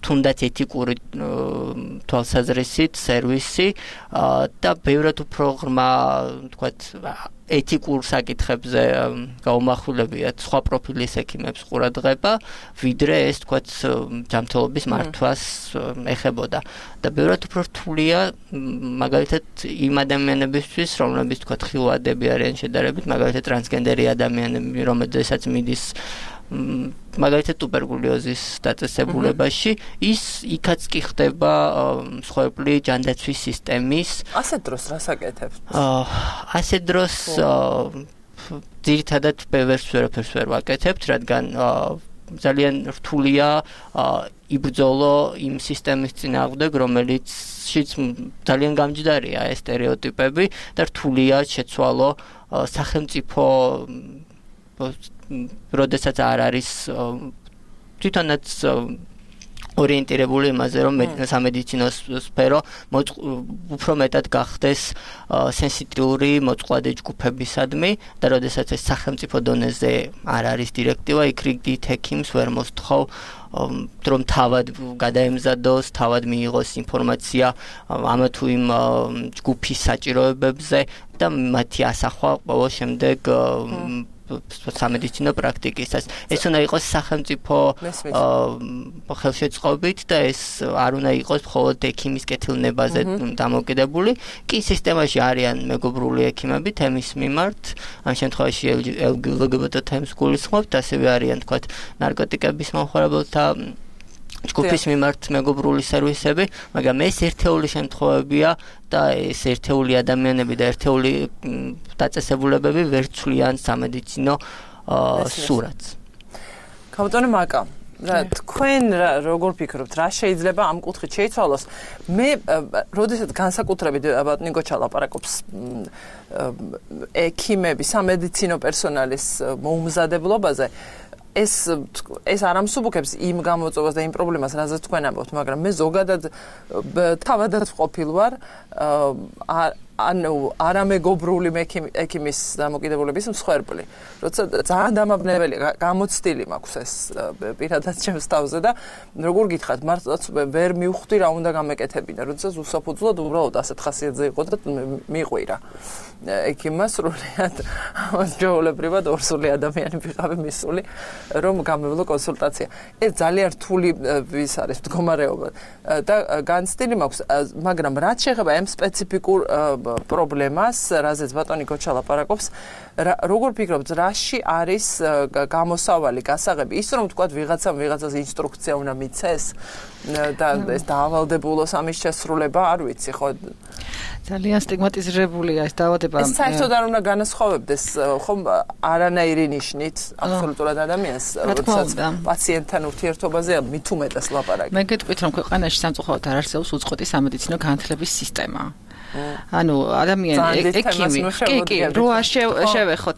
თუნდაც ეთიკური თვალსაზრისით სერვისი და ბევრად უფრო ღრმა, თქვათ, ეთიკურ საკითხებზე გაუმახვილებიათ სხვა პროფილის ექიმებს ყურადღება, ვიდრე ეს, თქვათ, ჯანმრთელობის მართვას ეხებოდა. და ბევრად უფრო რთულია მაგალითად იმ ადამიანებისთვის, რომლებიც, თქვათ, ხილვადები არიან შედარებით, მაგალითად ტრანსგენდერი ადამიანები, რომელთაც მიდის მაგალითად ტუბერკულოზის დაწესებულებაში, ის იქაც კი ხდება მსხვერპლი ჯანდაცვის სისტემის. ასეთ დროს რას აკეთებთ? ასეთ დროს ძირითადად ბევრს ვერაფერს ვერ ვაკეთებთ, რადგან ძალიან რთულია იბრძოლო იმ სისტემის წინააღმდეგ, რომელიც შიც ძალიან გამჯდარია ეს სტერეოტიპები და რთულია შეცვალო სახელმწიფო როდესაც არ არის თვითონაც ორიენტირებული იმაზე, რომ სამედიცინო სფერო უფრო მეტად გახდეს სენსიტიური მოწყვლადი ჯგუფებისადმი და როდესაც ეს სახელმწიფო დონეზე არ არის დირექტივა, იქ რიგით ექიმს ვერ მოსთხოვ რომ თავად გადაემზადოს, თავად მიიღოს ინფორმაცია ამ თუ იმ ჯგუფის საჭიროებებზე და მათი ასახვა ყოველ შემდეგ სამედიცინო პრაქტიკისას. ეს უნდა იყოს სახელმწიფო ხელშეწყობით და ეს არ უნდა იყოს მხოლოდ ექიმის კეთილნებაზე დამოკიდებული. კი სისტემაში არიან მეგობრული ექიმები თემის მიმართ, ამ შემთხვევაში ელ ჯი ბი ტი თემს გულისხმობთ, ასევე არიან თქვათ ნარკოტიკების მომხმარებელთა ჯგუფის მიმართ მეგობრული სერვისები, მაგრამ ეს ერთეული შემთხვევებია და ეს ერთეული ადამიანები და ერთეული დაწესებულებები ვერ ცვლიან სამედიცინო სურათს. კაპიტანი მაკა, რა თქვენ როგორ ფიქრობთ, რა შეიძლება ამ კუთხით შეიცვალოს? მე როდესაც განსაკუთრებით ნიკო ჩალაპარაკობს ექიმების, სამედიცინო პერსონალის მოუმზადებლობაზე, ეს ეს არ ამსუბუქებს იმ გამოწვევას და იმ პრობლემას, რაზეც თქვენ ამბობთ, მაგრამ მე ზოგადად თავადაც ყოფილ ვარ ანუ არამეგობრული ექიმის დამოკიდებულების მსხვერპლი. როცა ძალიან დამაბნეველი გამოცდილი მაქვს ეს პირადად ჩემს თავზე და როგორ გითხრათ, მართლაც ვერ მივხვდი რა უნდა გამეკეთებინა, როდესაც უსაფუძვლოდ უბრალოდ ასეთ ხასიათზე იყო და მიყვირა. ექიმმა სრულიად ჯოულებრივად ორსული ადამიანი ვიყავი მისული, რომ გამევლო კონსულტაცია. ეს ძალიან რთული ვის არის მდგომარეობა და განცდილი მაქვს, მაგრამ რაც შეეხება ამ სპეციფიკურ პრობლემას, რაზეც ბატონი გოჩა ლაპარაკობს, როგორ ფიქრობთ, რაში არის გამოსავალი, გასაღები? ის რომ თქვა ვიღაცამ ვიღაცას ინსტრუქცია უნდა მიცეს და ეს დაავალდებულოს ამის შესრულება, არ ვიცი, ხო? ძალიან სტიგმატიზირებულია ეს დაავადება. ეს საერთოდ არ უნდა განასხვავებდეს ხომ არანაირი ნიშნით აბსოლუტურად ადამიანს, როდესაც პაციენტთან ურთიერთობაზე მით უმეტეს ლაპარაკი. მე გეტყვით, რომ ქვეყანაში სამწუხაროდ არ არსებობს უწყვეტი სამედიცინო განათლების სისტემა. ანუ ადამიანი ექიმი კი კი რო შევეხოთ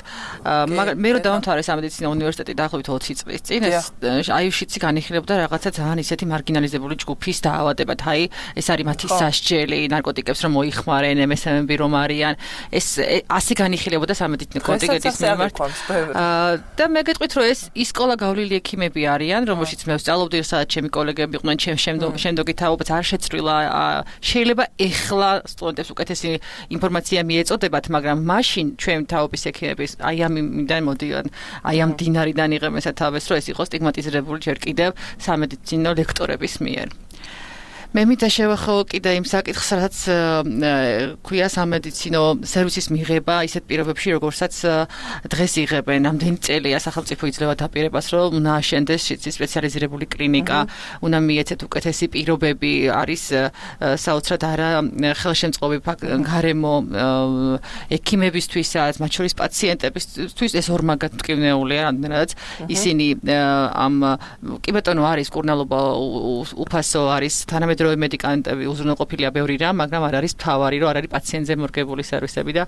მაგრამ მე რო დავამთავრე სამედიცინო უნივერსიტეტი დაახლოებით ოცი წლის წინ ეს აიუშიცი განიხილებდა რაღაცა ძალიან ისეთი მარგინალიზებული ჯგუფის დაავადებად აი ეს არის მათი სასჯელი ნარკოტიკებს რომ მოიხმარენ em es em-ები რომ არიან ეს ასე განიხილებოდა სამედიცინო კონტინგენტის მიმართ და მე გეტყვით რომ ეს ის სკოლა გავლილი ექიმები არიან რომელშიც მე ვსწავლობდი სადაც ჩემი კოლეგები იყვნენ ჩემ შემდეგი თაობაც არ შეცვლილა შეიძლება ეხლა სტუდენტებს უკეთესი ინფორმაცია მიეწოდებათ, მაგრამ მაშინ ჩვენ თაობის ექიმების აი ამიდან მოდიან, აი ამ დინარიდან იღებენ სათავეს, რომ ეს იყო სტიგმატიზირებული ჯერ კიდევ სამედიცინო ლექტორების მიერ. მე მინდა შევეხო კიდე იმ საკითხს, რაც ქვია სამედიცინო სერვისის მიღება ისეთ პირობებში, როგორცაც დღეს იღებენ. ამდენი წელია სახელმწიფო იძლევა დაპირებას, რომ უნდა აშენდეს სპეციალიზირებული კლინიკა, უნდა მიეცეთ უკეთესი პირობები, არის საოცრად არა ხელშემწყობი გარემო ექიმებისთვისაც, მათ შორის პაციენტებისთვის ეს ორმაგად მტკივნეულია, რამდენადაც ისინი ამ კი ბატონო არის კურნალობა უფასო არის თანამედროვე მედიკამენტები უზრუნველყოფილია ბევრი რამ, მაგრამ არ არის მთავარი, რომ არ არის პაციენტზე მორგებული სერვისები და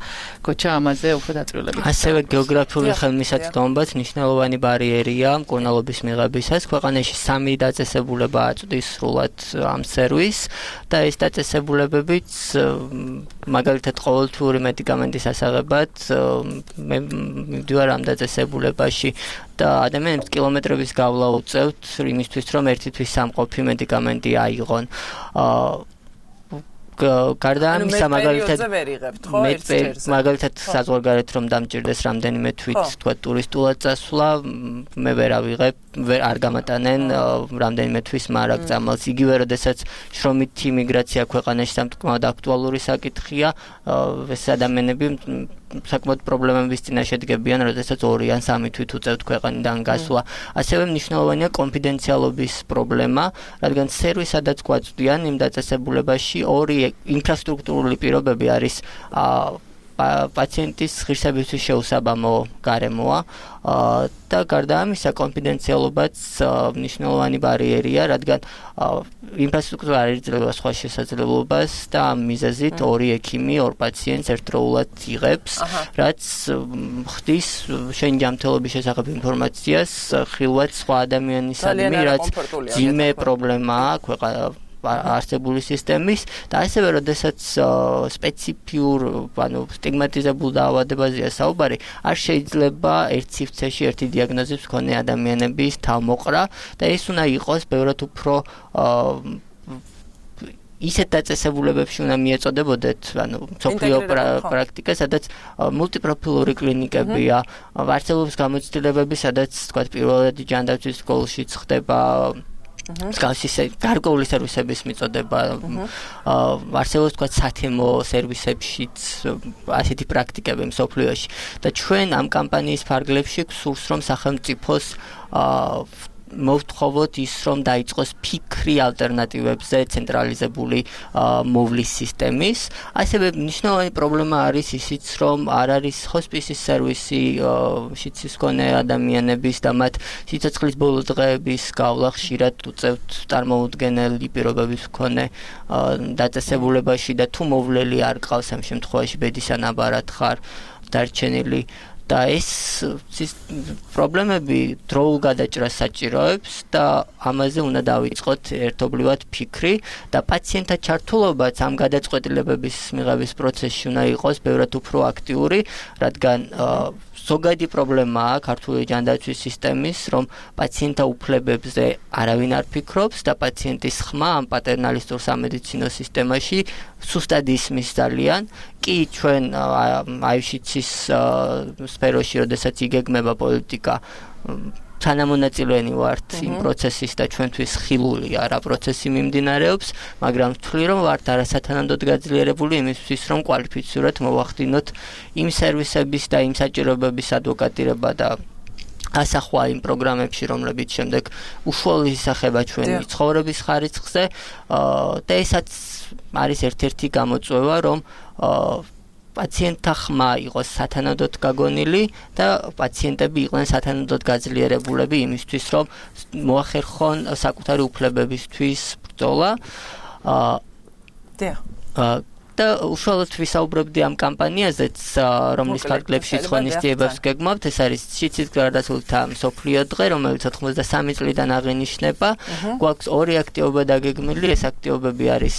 გოჩა ამაზე უფრო დაწვრილებით. ასევე გეოგრაფიული ხელმისაწვდომობაც მნიშვნელოვანი ბარიერია მკურნალობის მიღებისას. ქვეყანაში სამი დაწესებულება აწვდის სრულად ამ სერვისს და ეს დაწესებულებებიც მაგალითად ყოველთვიური მედიკამენტის ასაღებად მე მივდივარ ამ დაწესებულებაში და ადამიანებს კილომეტრების გავლა უწევთ იმისთვის, რომ ერთი თვის სამყოფი მედიკამენტი აიღონ. გარდა ამისა მაგალითად მაგალითად საზღვარგარეთ რომ დამჭირდეს რამდენიმე თვით თქვა ტურისტულად წასვლა მე ვერ ავიღებ ვერ არ გამატანენ რამდენიმე თვის მარაგ წამალს იგივე როდესაც შრომითი იმიგრაცია ქვეყანაში სამწუხაროდ აქტუალური საკითხია ეს ადამიანები საკმაოდ პრობლემების წინაშე დგებიან, როდესაც ორი ან სამი თვით უწევთ ქვეყანიდან გასვლა. ასევე მნიშვნელოვანია კონფიდენციალობის პრობლემა, რადგან სერვისადაც გვაწვდიან იმ დაწესებულებაში ორი ინფრასტრუქტურული პირობები არის პაციენტის ღირსებისთვის შეუსაბამო გარემოა და გარდა ამისა კონფიდენციალობაც მნიშვნელოვანი ბარიერია, რადგან ინფრასტრუქტურა არ იძლევა სხვა შესაძლებლობას და ამ მიზეზით ორი ექიმი ორ პაციენტს ერთდროულად იღებს, რაც ხდის შენ ჯანმრთელობის შესახებ ინფორმაციას ხილვად სხვა ადამიანისადმი, რაც ძიმე პრობლემაა ქვეყანა არსებული სისტემის და ასევე როდესაც სპეციფიურ, ანუ სტიგმატიზებულ დაავადებაზეა საუბარი, არ შეიძლება ერთ სივრცეში ერთი დიაგნოზის მქონე ადამიანების თავმოყრა და ეს უნდა იყოს ბევრად უფრო ისეთ დაწესებულებებში უნდა მიეწოდებოდეთ, ანუ სოფლიო პრაქტიკა, სადაც მულტიპროფილური კლინიკებია, არსებობს გამოცდილებები, სადაც თქვა პირველადი ჯანდაცვის სკოლაშიც ხდება მსგავსი გარკვეული სერვისების მიწოდება, არსებობს თქვა სათემო სერვისებშიც ასეთი პრაქტიკები მსოფლიოში და ჩვენ ამ კამპანიის ფარგლებში გვსურს, რომ სახელმწიფოს მოვთხოვოთ ის, რომ დაიწყოს ფიქრი ალტერნატივებზე ცენტრალიზებული მოვლის სისტემის. ასევე მნიშვნელოვანი პრობლემა არის ისიც, რომ არ არის ჰოსპისის სერვისი შიცის მქონე ადამიანების და მათ სიცოცხლის ბოლო დღეების გავლა ხშირად უწევთ წარმოუდგენელი პირობების მქონე დაწესებულებაში და თუ მოვლელი არ ყავს ამ შემთხვევაში ბედის ანაბარად ხარ დარჩენილი და ეს პრობლემები დროულ გადაჭრას საჭიროებს და ამაზე უნდა დავიწყოთ ერთობლივად ფიქრი და პაციენტთა ჩართულობაც ამ გადაწყვეტილებების მიღების პროცესში უნდა იყოს ბევრად უფრო აქტიური, რადგან ზოგადი პრობლემაა ქართული ჯანდაცვის სისტემის, რომ პაციენტთა უფლებებზე არავინ არ ფიქრობს და პაციენტის ხმა ამ პატერნალისტურ სამედიცინო სისტემაში სუსტად ისმის ძალიან. კი ჩვენ აივშიცის სფეროში, როდესაც იგეგმება პოლიტიკა, თანამონაწილენი ვართ იმ პროცესის და ჩვენთვის ხილულია რა პროცესი მიმდინარეობს, მაგრამ ვთვლი რომ ვართ არასათანადოდ გაძლიერებული იმისთვის, რომ კვალიფიცირებულად მოვახდინოთ იმ სერვისების და იმ საჭიროებების ადვოკატირება და ასახვა იმ პროგრამებში, რომლებიც შემდეგ უშუალოდ ისახება ჩვენი ცხოვრების ხარისხზე და ესაც არის ერთ-ერთი გამოწვევა, რომ პაციენტთა ხმა იყოს სათანადოდ გაგონილი და პაციენტები იყვნენ სათანადოდ გაძლიერებულები იმისთვის, რომ მოახერხონ საკუთარი უფლებებისთვის ბრძოლა. და უშუალოდ ვისაუბრებდი ამ კამპანიაზეც, რომლის ფარგლებშიც ღონისძიებებს გეგმავთ, ეს არის შიცის გარდაცვალთა მსოფლიო დღე, რომელიც ოთხმოცდასამი წლიდან აღინიშნება. გვაქვს ორი აქტივობა დაგეგმილი, ეს აქტივობები არის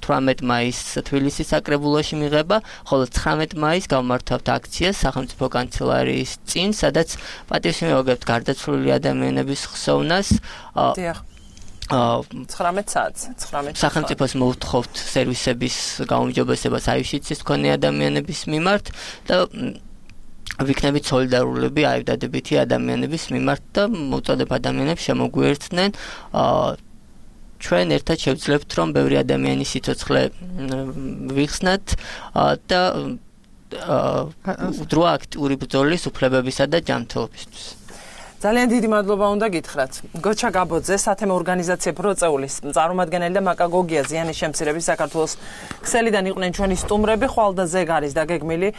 თვრამეტ მაისს თბილისის საკრებულოში მიღება, ხოლო ცხრამეტ მაისს გავმართავთ აქციას სახელმწიფო კანცელარიის წინ, სადაც პატივს მივაგებთ გარდაცვლილი ადამიანების ხსოვნას. ცხრამეტ საათს, ცხრამეტ სახელმწიფოს მოვთხოვთ სერვისების გაუმჯობესებას აივშიცის მქონე ადამიანების მიმართ და ვიქნებით სოლიდარულები აივდადებითი ადამიანების მიმართ და მოუწოდებ ადამიანებს შემოგვიერთდნენ. ჩვენ ერთად შევძლებთ, რომ ბევრი ადამიანის სიცოცხლე ვიხსნათ და დროა აქტიური ბრძოლის უფლებებისა და ჯანმრთელობისთვის. ძალიან დიდი მადლობა უნდა გითხრათ. გოჩა გაბოძე, სათემო ორგანიზაცია პროწეულის წარმომადგენელი და მაკაგოგია ზიანის შემცირების საქართველოს ქსელიდან იყვნენ ჩვენი სტუმრები. ხვალ და ზეგ არის დაგეგმილი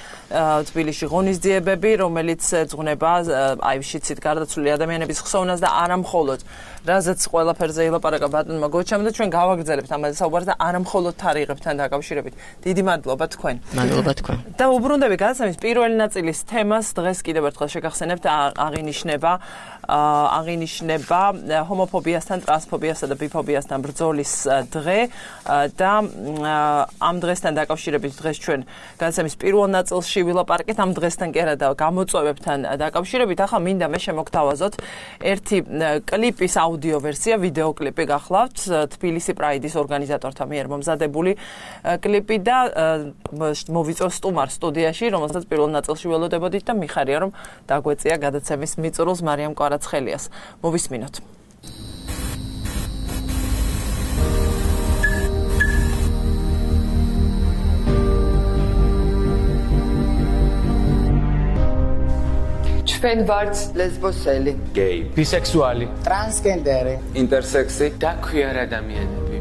თბილისში ღონისძიებები, რომელიც ეძღვნება აივშიცით გარდაცვლილი ადამიანების ხსოვნას და არა მხოლოდ რაზეც ყველაფერზე ილაპარაკა ბატონმა გოჩამ და ჩვენ გავაგრძელებთ ამაზე საუბარს და არა მხოლოდ თარიღებთან დაკავშირებით. დიდი მადლობა თქვენ. მადლობა თქვენ. და უბრუნდები გადაცემის პირველი ნაწილის თემას დღეს კიდევ ერთხელ შეგახსენებთ, აღინიშნება აღინიშნება ჰომოფობიასთან, ტრანსფობიასთან და ბიფობიასთან ბრძოლის დღე და ამ დღესთან დაკავშირებით დღეს ჩვენ გადაცემის პირველ ნაწილში ვილაპარაკეთ ამ დღესთან კი არა და გამოწვევებთან დაკავშირებით. ახლა მინდა მე შემოგთავაზოთ ერთი კლიპის აუდიო ვერსია, ვიდეო კლიპი გახლავთ, თბილისი პრაიდის ორგანიზატორთა მიერ მომზადებული კლიპი და მოვიწევ სტუმარ სტუდიაში, რომელსაც პირველ ნაწილში ველოდებოდით და მიხარია რომ დაგვეწია გადაცემის მიწურულს მარიამ კვარაცხელიას. მოვისმინოთ. ჩვენ ვართ ლესბოსელი, გეი, ბისექსუალი, ტრანსგენდერი, ინტერსექსი და ქვიარ ადამიანები.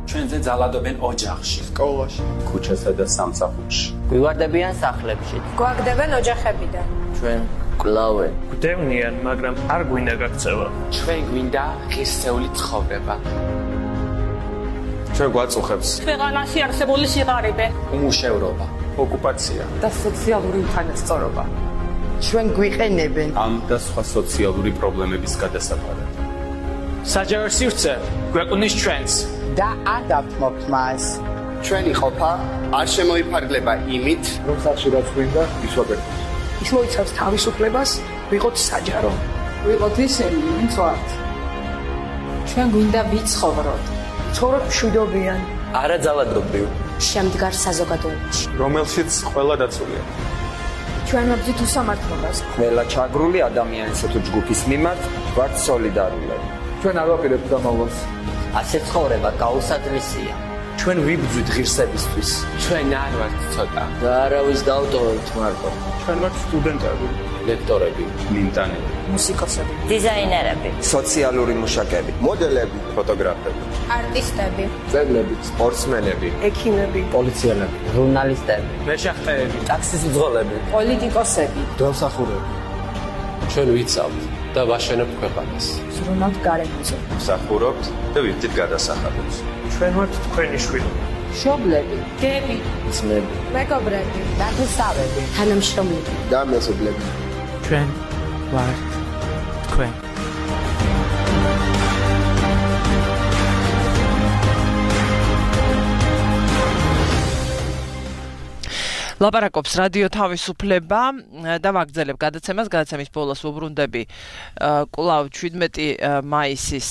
ჩვენზე ძალადობენ ოჯახში, სკოლაში, ქუჩასა და სამსახურში. გვივარდებიან სახლებში. გვაგდებენ ოჯახებიდან. ჩვენ გკლავენ. გვდევნიან, მაგრამ არ გვინდა გაქცევა. ჩვენ გვინდა ღირსეული ცხოვრება. ჩვენ გვაწუხებს ქვეყანაში არსებული სიღარიბე, უმუშევრობა, ოკუპაცია და სოციალური უთანასწორობა. ჩვენ გვიყენებენ ამ და სხვა სოციალური პრობლემების გადასაყარად. საჯარო სივრცე გვეყნის ჩვენს და არ დავთმობთ მას. ჩვენი ყოფა არ შემოიფარგლება იმით, რომ სახში რაც გვინდა, ის ვაკეთებთ. ის მოიცავს თავისუფლებას, ვიყოთ საჯარო, ვიყოთ ისინი, ვინც ვართ. ჩვენ გვინდა ვიცხოვროთ. ცხოვრობ მშვიდობიან, არაძალადობრივ, შემდგარ საზოგადოებაში, რომელშიც ყველა დაცულია. ჩვენ ვაბრძვით უსამართლობას. ყველა ჩაგრული ადამიანისა თუ ჯგუფის მიმართ ვართ სოლიდარული. ჩვენ არ ვაპირებთ დამალვას. ასე ცხოვრება გაუსადრისია. ჩვენ ვიბრძვით ღირსებისთვის. ჩვენ არ ვართ ცოტა. და არავის დავტოვებთ მარტო. ჩვენ ვართ სტუდენტები, ლექტორები, მიმტანები, მუსიკოსები, დიზაინერები, სოციალური მუშაკები, მოდელები, ფოტოგრაფები, არტისტები, მწერლები, სპორტსმენები, ექიმები, პოლიციელები, ჟურნალისტები, მეშახტეები, ტაქსის მძღოლები, პოლიტიკოსები, დელსახურები. ჩვენ ვიცავთ და ვაშენებთ ქვეყანას. ზრუნავთ გარემოზე. მსახურობთ და ვიხდით გადასახადებს. ჩვენ ვართ თქვენი შვილები. მშობლები, გები, ძმები, მეგობრები, ნათესავები, თანამშრომლები და მეზობლები. ჩვენ ვართ თქვენ. ლაპარაკობს რადიო თავისუფლება და ვაგრძელებ გადაცემას. გადაცემის ბოლოს ვუბრუნდები კვლავ შვიდმეტი მაისის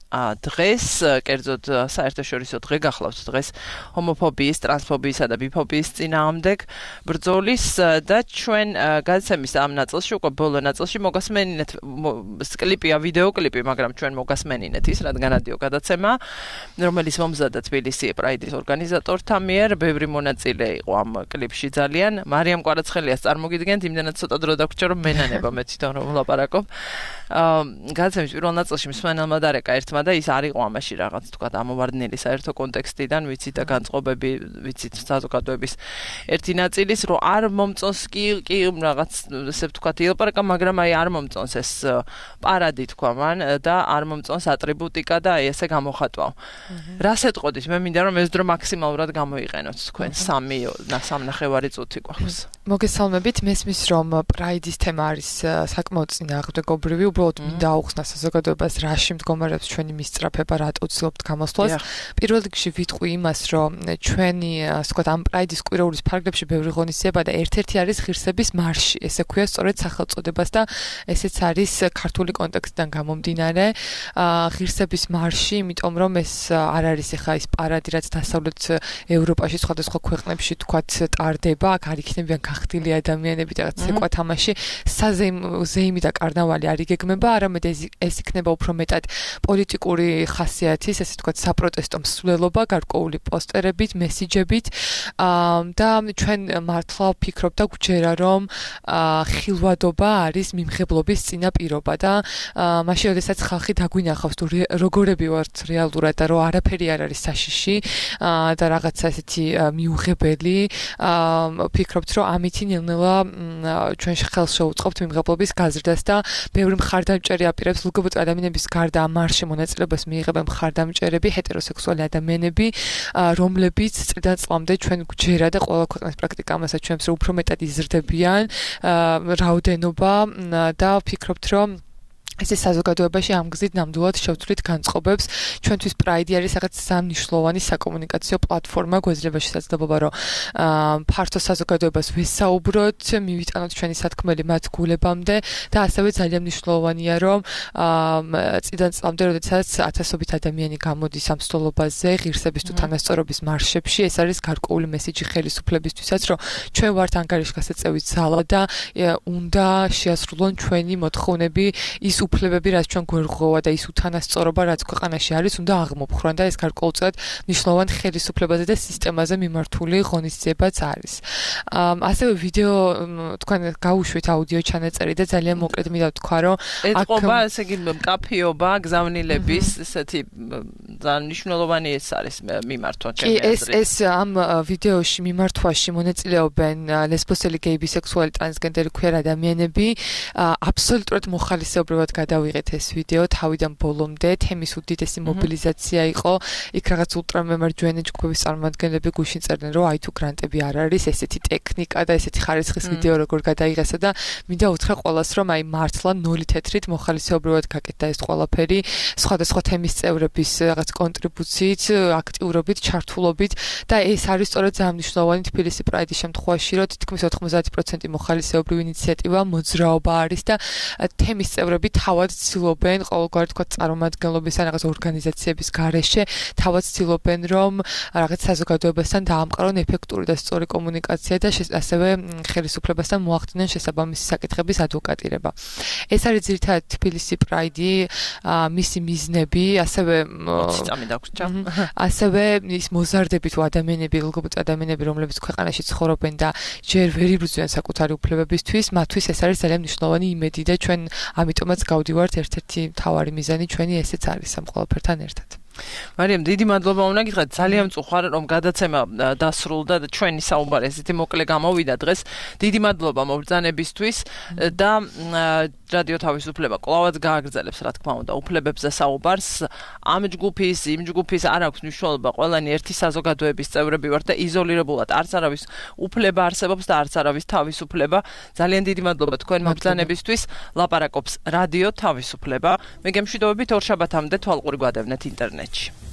დღეს, კერძოდ საერთაშორისო დღე გახლავთ დღეს ჰომოფობიის, ტრანსფობიისა და ბიფობიის წინააღმდეგ ბრძოლის და ჩვენ გადაცემის ამ ნაწილში, უკვე ბოლო ნაწილში მოგასმენინეთ კლიპია, ვიდეო კლიპი, მაგრამ ჩვენ მოგასმენინეთ ის, რადგან რადიო გადაცემა, რომელიც მომზადდა თბილისი პრაიდის ორგანიზატორთა მიერ, ბევრი მონაწილე იყო ამ კლიპში ძალიან. მარიამ კვარაცხელიას წარმოგიდგენთ, იმდენად ცოტა დრო დაგვრჩა, რომ მენანება მე თვითონ რომ ვლაპარაკობ. გადაცემის პირველ ნაწილში მსმენელმა დარეკა ერთმა და ის არ იყო ამაში რაღაც თქვა ამოვარდნილი საერთო კონტექსტიდან, ვიცით და განწყობები, ვიცით საზოგადოების ერთი ნაწილის, რომ არ მომწონს კი კი რაღაც ესე ვთქვათ ილაპარაკა, მაგრამ აი არ მომწონს ეს პარადი თქვა მან და არ მომწონს ატრიბუტიკა და აი ესე გამოხატვაო. რას ეტყოდით? მე მინდა რომ ეს დრო მაქსიმალურად გამოიყენოთ თქვენ. სამი სამნახევარი წუთი გვაქვს. მოგესალმებით, მესმის რომ პრაიდის თემა არის საკმაოდ წინააღმდეგობრივი, უბრალოდ მინდა აუხსნა საზოგადოებას რაში მდგომარეობს ჩვენი მისწრაფება, რატო ვცდილობთ გამოსვლას. პირველ რიგში ვიტყვი იმას, რომ ჩვენი, ასე ვთქვათ, ამ პრაიდის კვირაულის ფარგლებში ბევრი ღონისძიება და ერთ-ერთი არის ღირსების მარში. ესე ქვია სწორედ სახელწოდებას და ესეც არის ქართული კონტექსტიდან გამომდინარე. ღირსების მარში, იმიტომ რომ ეს არ არის ახლა ის პარადი, რაც დასავლეთ ევროპაში სხვადასხვა ქვეყნებში თქვათ ტარდება, აქ არ იქნებიან გახდილი ადამიანები და რაღაც ეკვა თამაში, საზეიმი და კარნავალი არ იგეგმება, არამედ ეს იქნება უფრო მეტად პოლიტიკური ხასიათის, ესე ვთქვათ, საპროტესტო მსვლელობა, გარკვეული პოსტერებით, მესიჯებით და ჩვენ მართლა ვფიქრობ და გვჯერა, რომ ხილვადობა არის მიმღებლობის წინაპირობა და მაშინ, როდესაც ხალხი დაგვინახავს, თუ როგორები ვართ რეალურად და რომ არაფერი არ არის საშიში და რაღაცა ესეთი მიუღებელი, ვფიქრობთ, რომ ამითი ნელ-ნელა ჩვენ ხელს შევუწყობთ მიმღებლობის გაზრდას და ბევრი მხარდამჭერი აპირებს ლგბტ ადამიანების გარდა ამ მარში მონაწილეობას მიიღებენ მხარდამჭერები, ჰეტეროსექსუალი ადამიანები, რომლებიც წლიდან წლამდე ჩვენ გვჯერა და ყველა ქვეყნის პრაქტიკა ამასაც ჩვენს უფრო მეტად იზრდებიან რაოდენობა და ვფიქრობთ, რომ ეს საზოგადოებაში ამ გზით ნამდვილად შევცვლით განწყობებს. ჩვენთვის პრაიდი არის რაღაც სამნიშნულოვანი საკომუნიკაციო პლატფორმა, გვეძლება შესაძლებლობა, რომ ფართო საზოგადოებას ვესაუბროთ, მივიტანოთ ჩვენი სათქმელი მათ გულებამდე და ასევე ძალიან მნიშვნელოვანია, რომ წლიდან წლამდე, როდესაც ათასობით ადამიანი გამოდის ამ სტოლობაზე, ღირსების თუ თანასწორობის მარშებში, ეს არის გარკვეული მესიჯი ხელისუფლებისთვისაც, რომ ჩვენ ვართ ანგარიშგასაწევი ძალა და უნდა შეასრულონ ჩვენი მოთხოვნები ის უფლებები, რაც ჩვენ გვერღოვა და ის უთანასწორობა, რაც ქვეყანაში არის, უნდა აღმოფხრან და ეს გარკვეულწილად მნიშვნელოვან ხელისუფლებაზე და სისტემაზე მიმართული ღონისძიებაც არის. ასევე ვიდეო თქვენ გაუშვით აუდიო ჩანაწერი და ძალიან მოკლედ მინდა ვთქვა, რომ ეთყობა, ესე იგი, მკაფიობა, გზავნილების ესეთი ძალიან მნიშვნელოვანი ეს არის მიმართვა ჩემი აზრით. ეს ეს ამ ვიდეოში მიმართვაში მონაწილეობენ ლესბოსელი, გეი, ბისექსუალი, ტრანსგენდერი ქვიერ ადამიანები. აბსოლუტურად მოხალისეობრივად გადავიღეთ ეს ვიდეო თავიდან ბოლომდე. თემის უდიდესი მობილიზაცია იყო. იქ რაღაც ულტრამემარჯვენე ჯგუფების წარმომადგენლები გუშინ წერდნენ, რომ აი თუ გრანტები არ არის, ესეთი ტექნიკა და ესეთი ხარისხის ვიდეო როგორ გადაიღესა და მინდა უთხრა ყველას, რომ აი მართლა ნული თეთრით მოხალისეობრივად გაკეთდა ეს ყველაფერი. სხვადასხვა თემის წევრების რაღაც კონტრიბუციით, აქტიურობით, ჩართულობით და ეს არის სწორედ ძალიან მნიშვნელოვანი თბილისი პრაიდის შემთხვევაში, რომ თითქმის ოთხმოცდაათი პროცენტი მოხალისეობრივი ინიციატივა მოძრაობა არის და თემის წევრები თავად ცდილობენ ყოველგვარი თქვა წარმომადგენლობის ან რაღაც ორგანიზაციების გარეშე თავად ცდილობენ რომ რაღაც საზოგადოებასთან დაამყარონ ეფექტური და სწორი კომუნიკაცია და ასევე ხელისუფლებასთან მოახდინონ შესაბამისი საკითხების ადვოკატირება. ეს არის ძირითადად თბილისი პრაიდი, მისი მიზნები, ასევე ასევე ის მოზარდები თუ ადამიანები, ლგბტ ადამიანები, რომლებიც ქვეყანაში ცხოვრობენ და ჯერ ვერ იბრძვიან საკუთარი უფლებებისთვის, მათთვის ეს არის ძალიან მნიშვნელოვანი იმედი და ჩვენ ამიტომაც გავდივართ ერთ-ერთი მთავარი მიზანი ჩვენი ესეც არის ამ ყველაფერთან ერთად. მარიამ, დიდი მადლობა უნდა გითხრათ, ძალიან მწუხარ რომ გადაცემა დასრულდა და ჩვენი საუბარი ესეთი მოკლე გამოვიდა დღეს. დიდი მადლობა მობრძანებისთვის და რადიო თავისუფლება კვლავაც გააგრძელებს, რა თქმა უნდა, უფლებებზე საუბარს. ამ ჯგუფის, იმ ჯგუფის არ აქვს მნიშვნელობა, ყველანი ერთი საზოგადოების წევრები ვართ და იზოლირებულად არც არავის უფლება არსებობს და არც არავის თავისუფლება. ძალიან დიდი მადლობა თქვენ მობრძანებისთვის. ლაპარაკობს რადიო თავისუფლება. მე გემშვიდობებით ორ შაბათამდე თვალყური გვადევნეთ ინტერნეტში.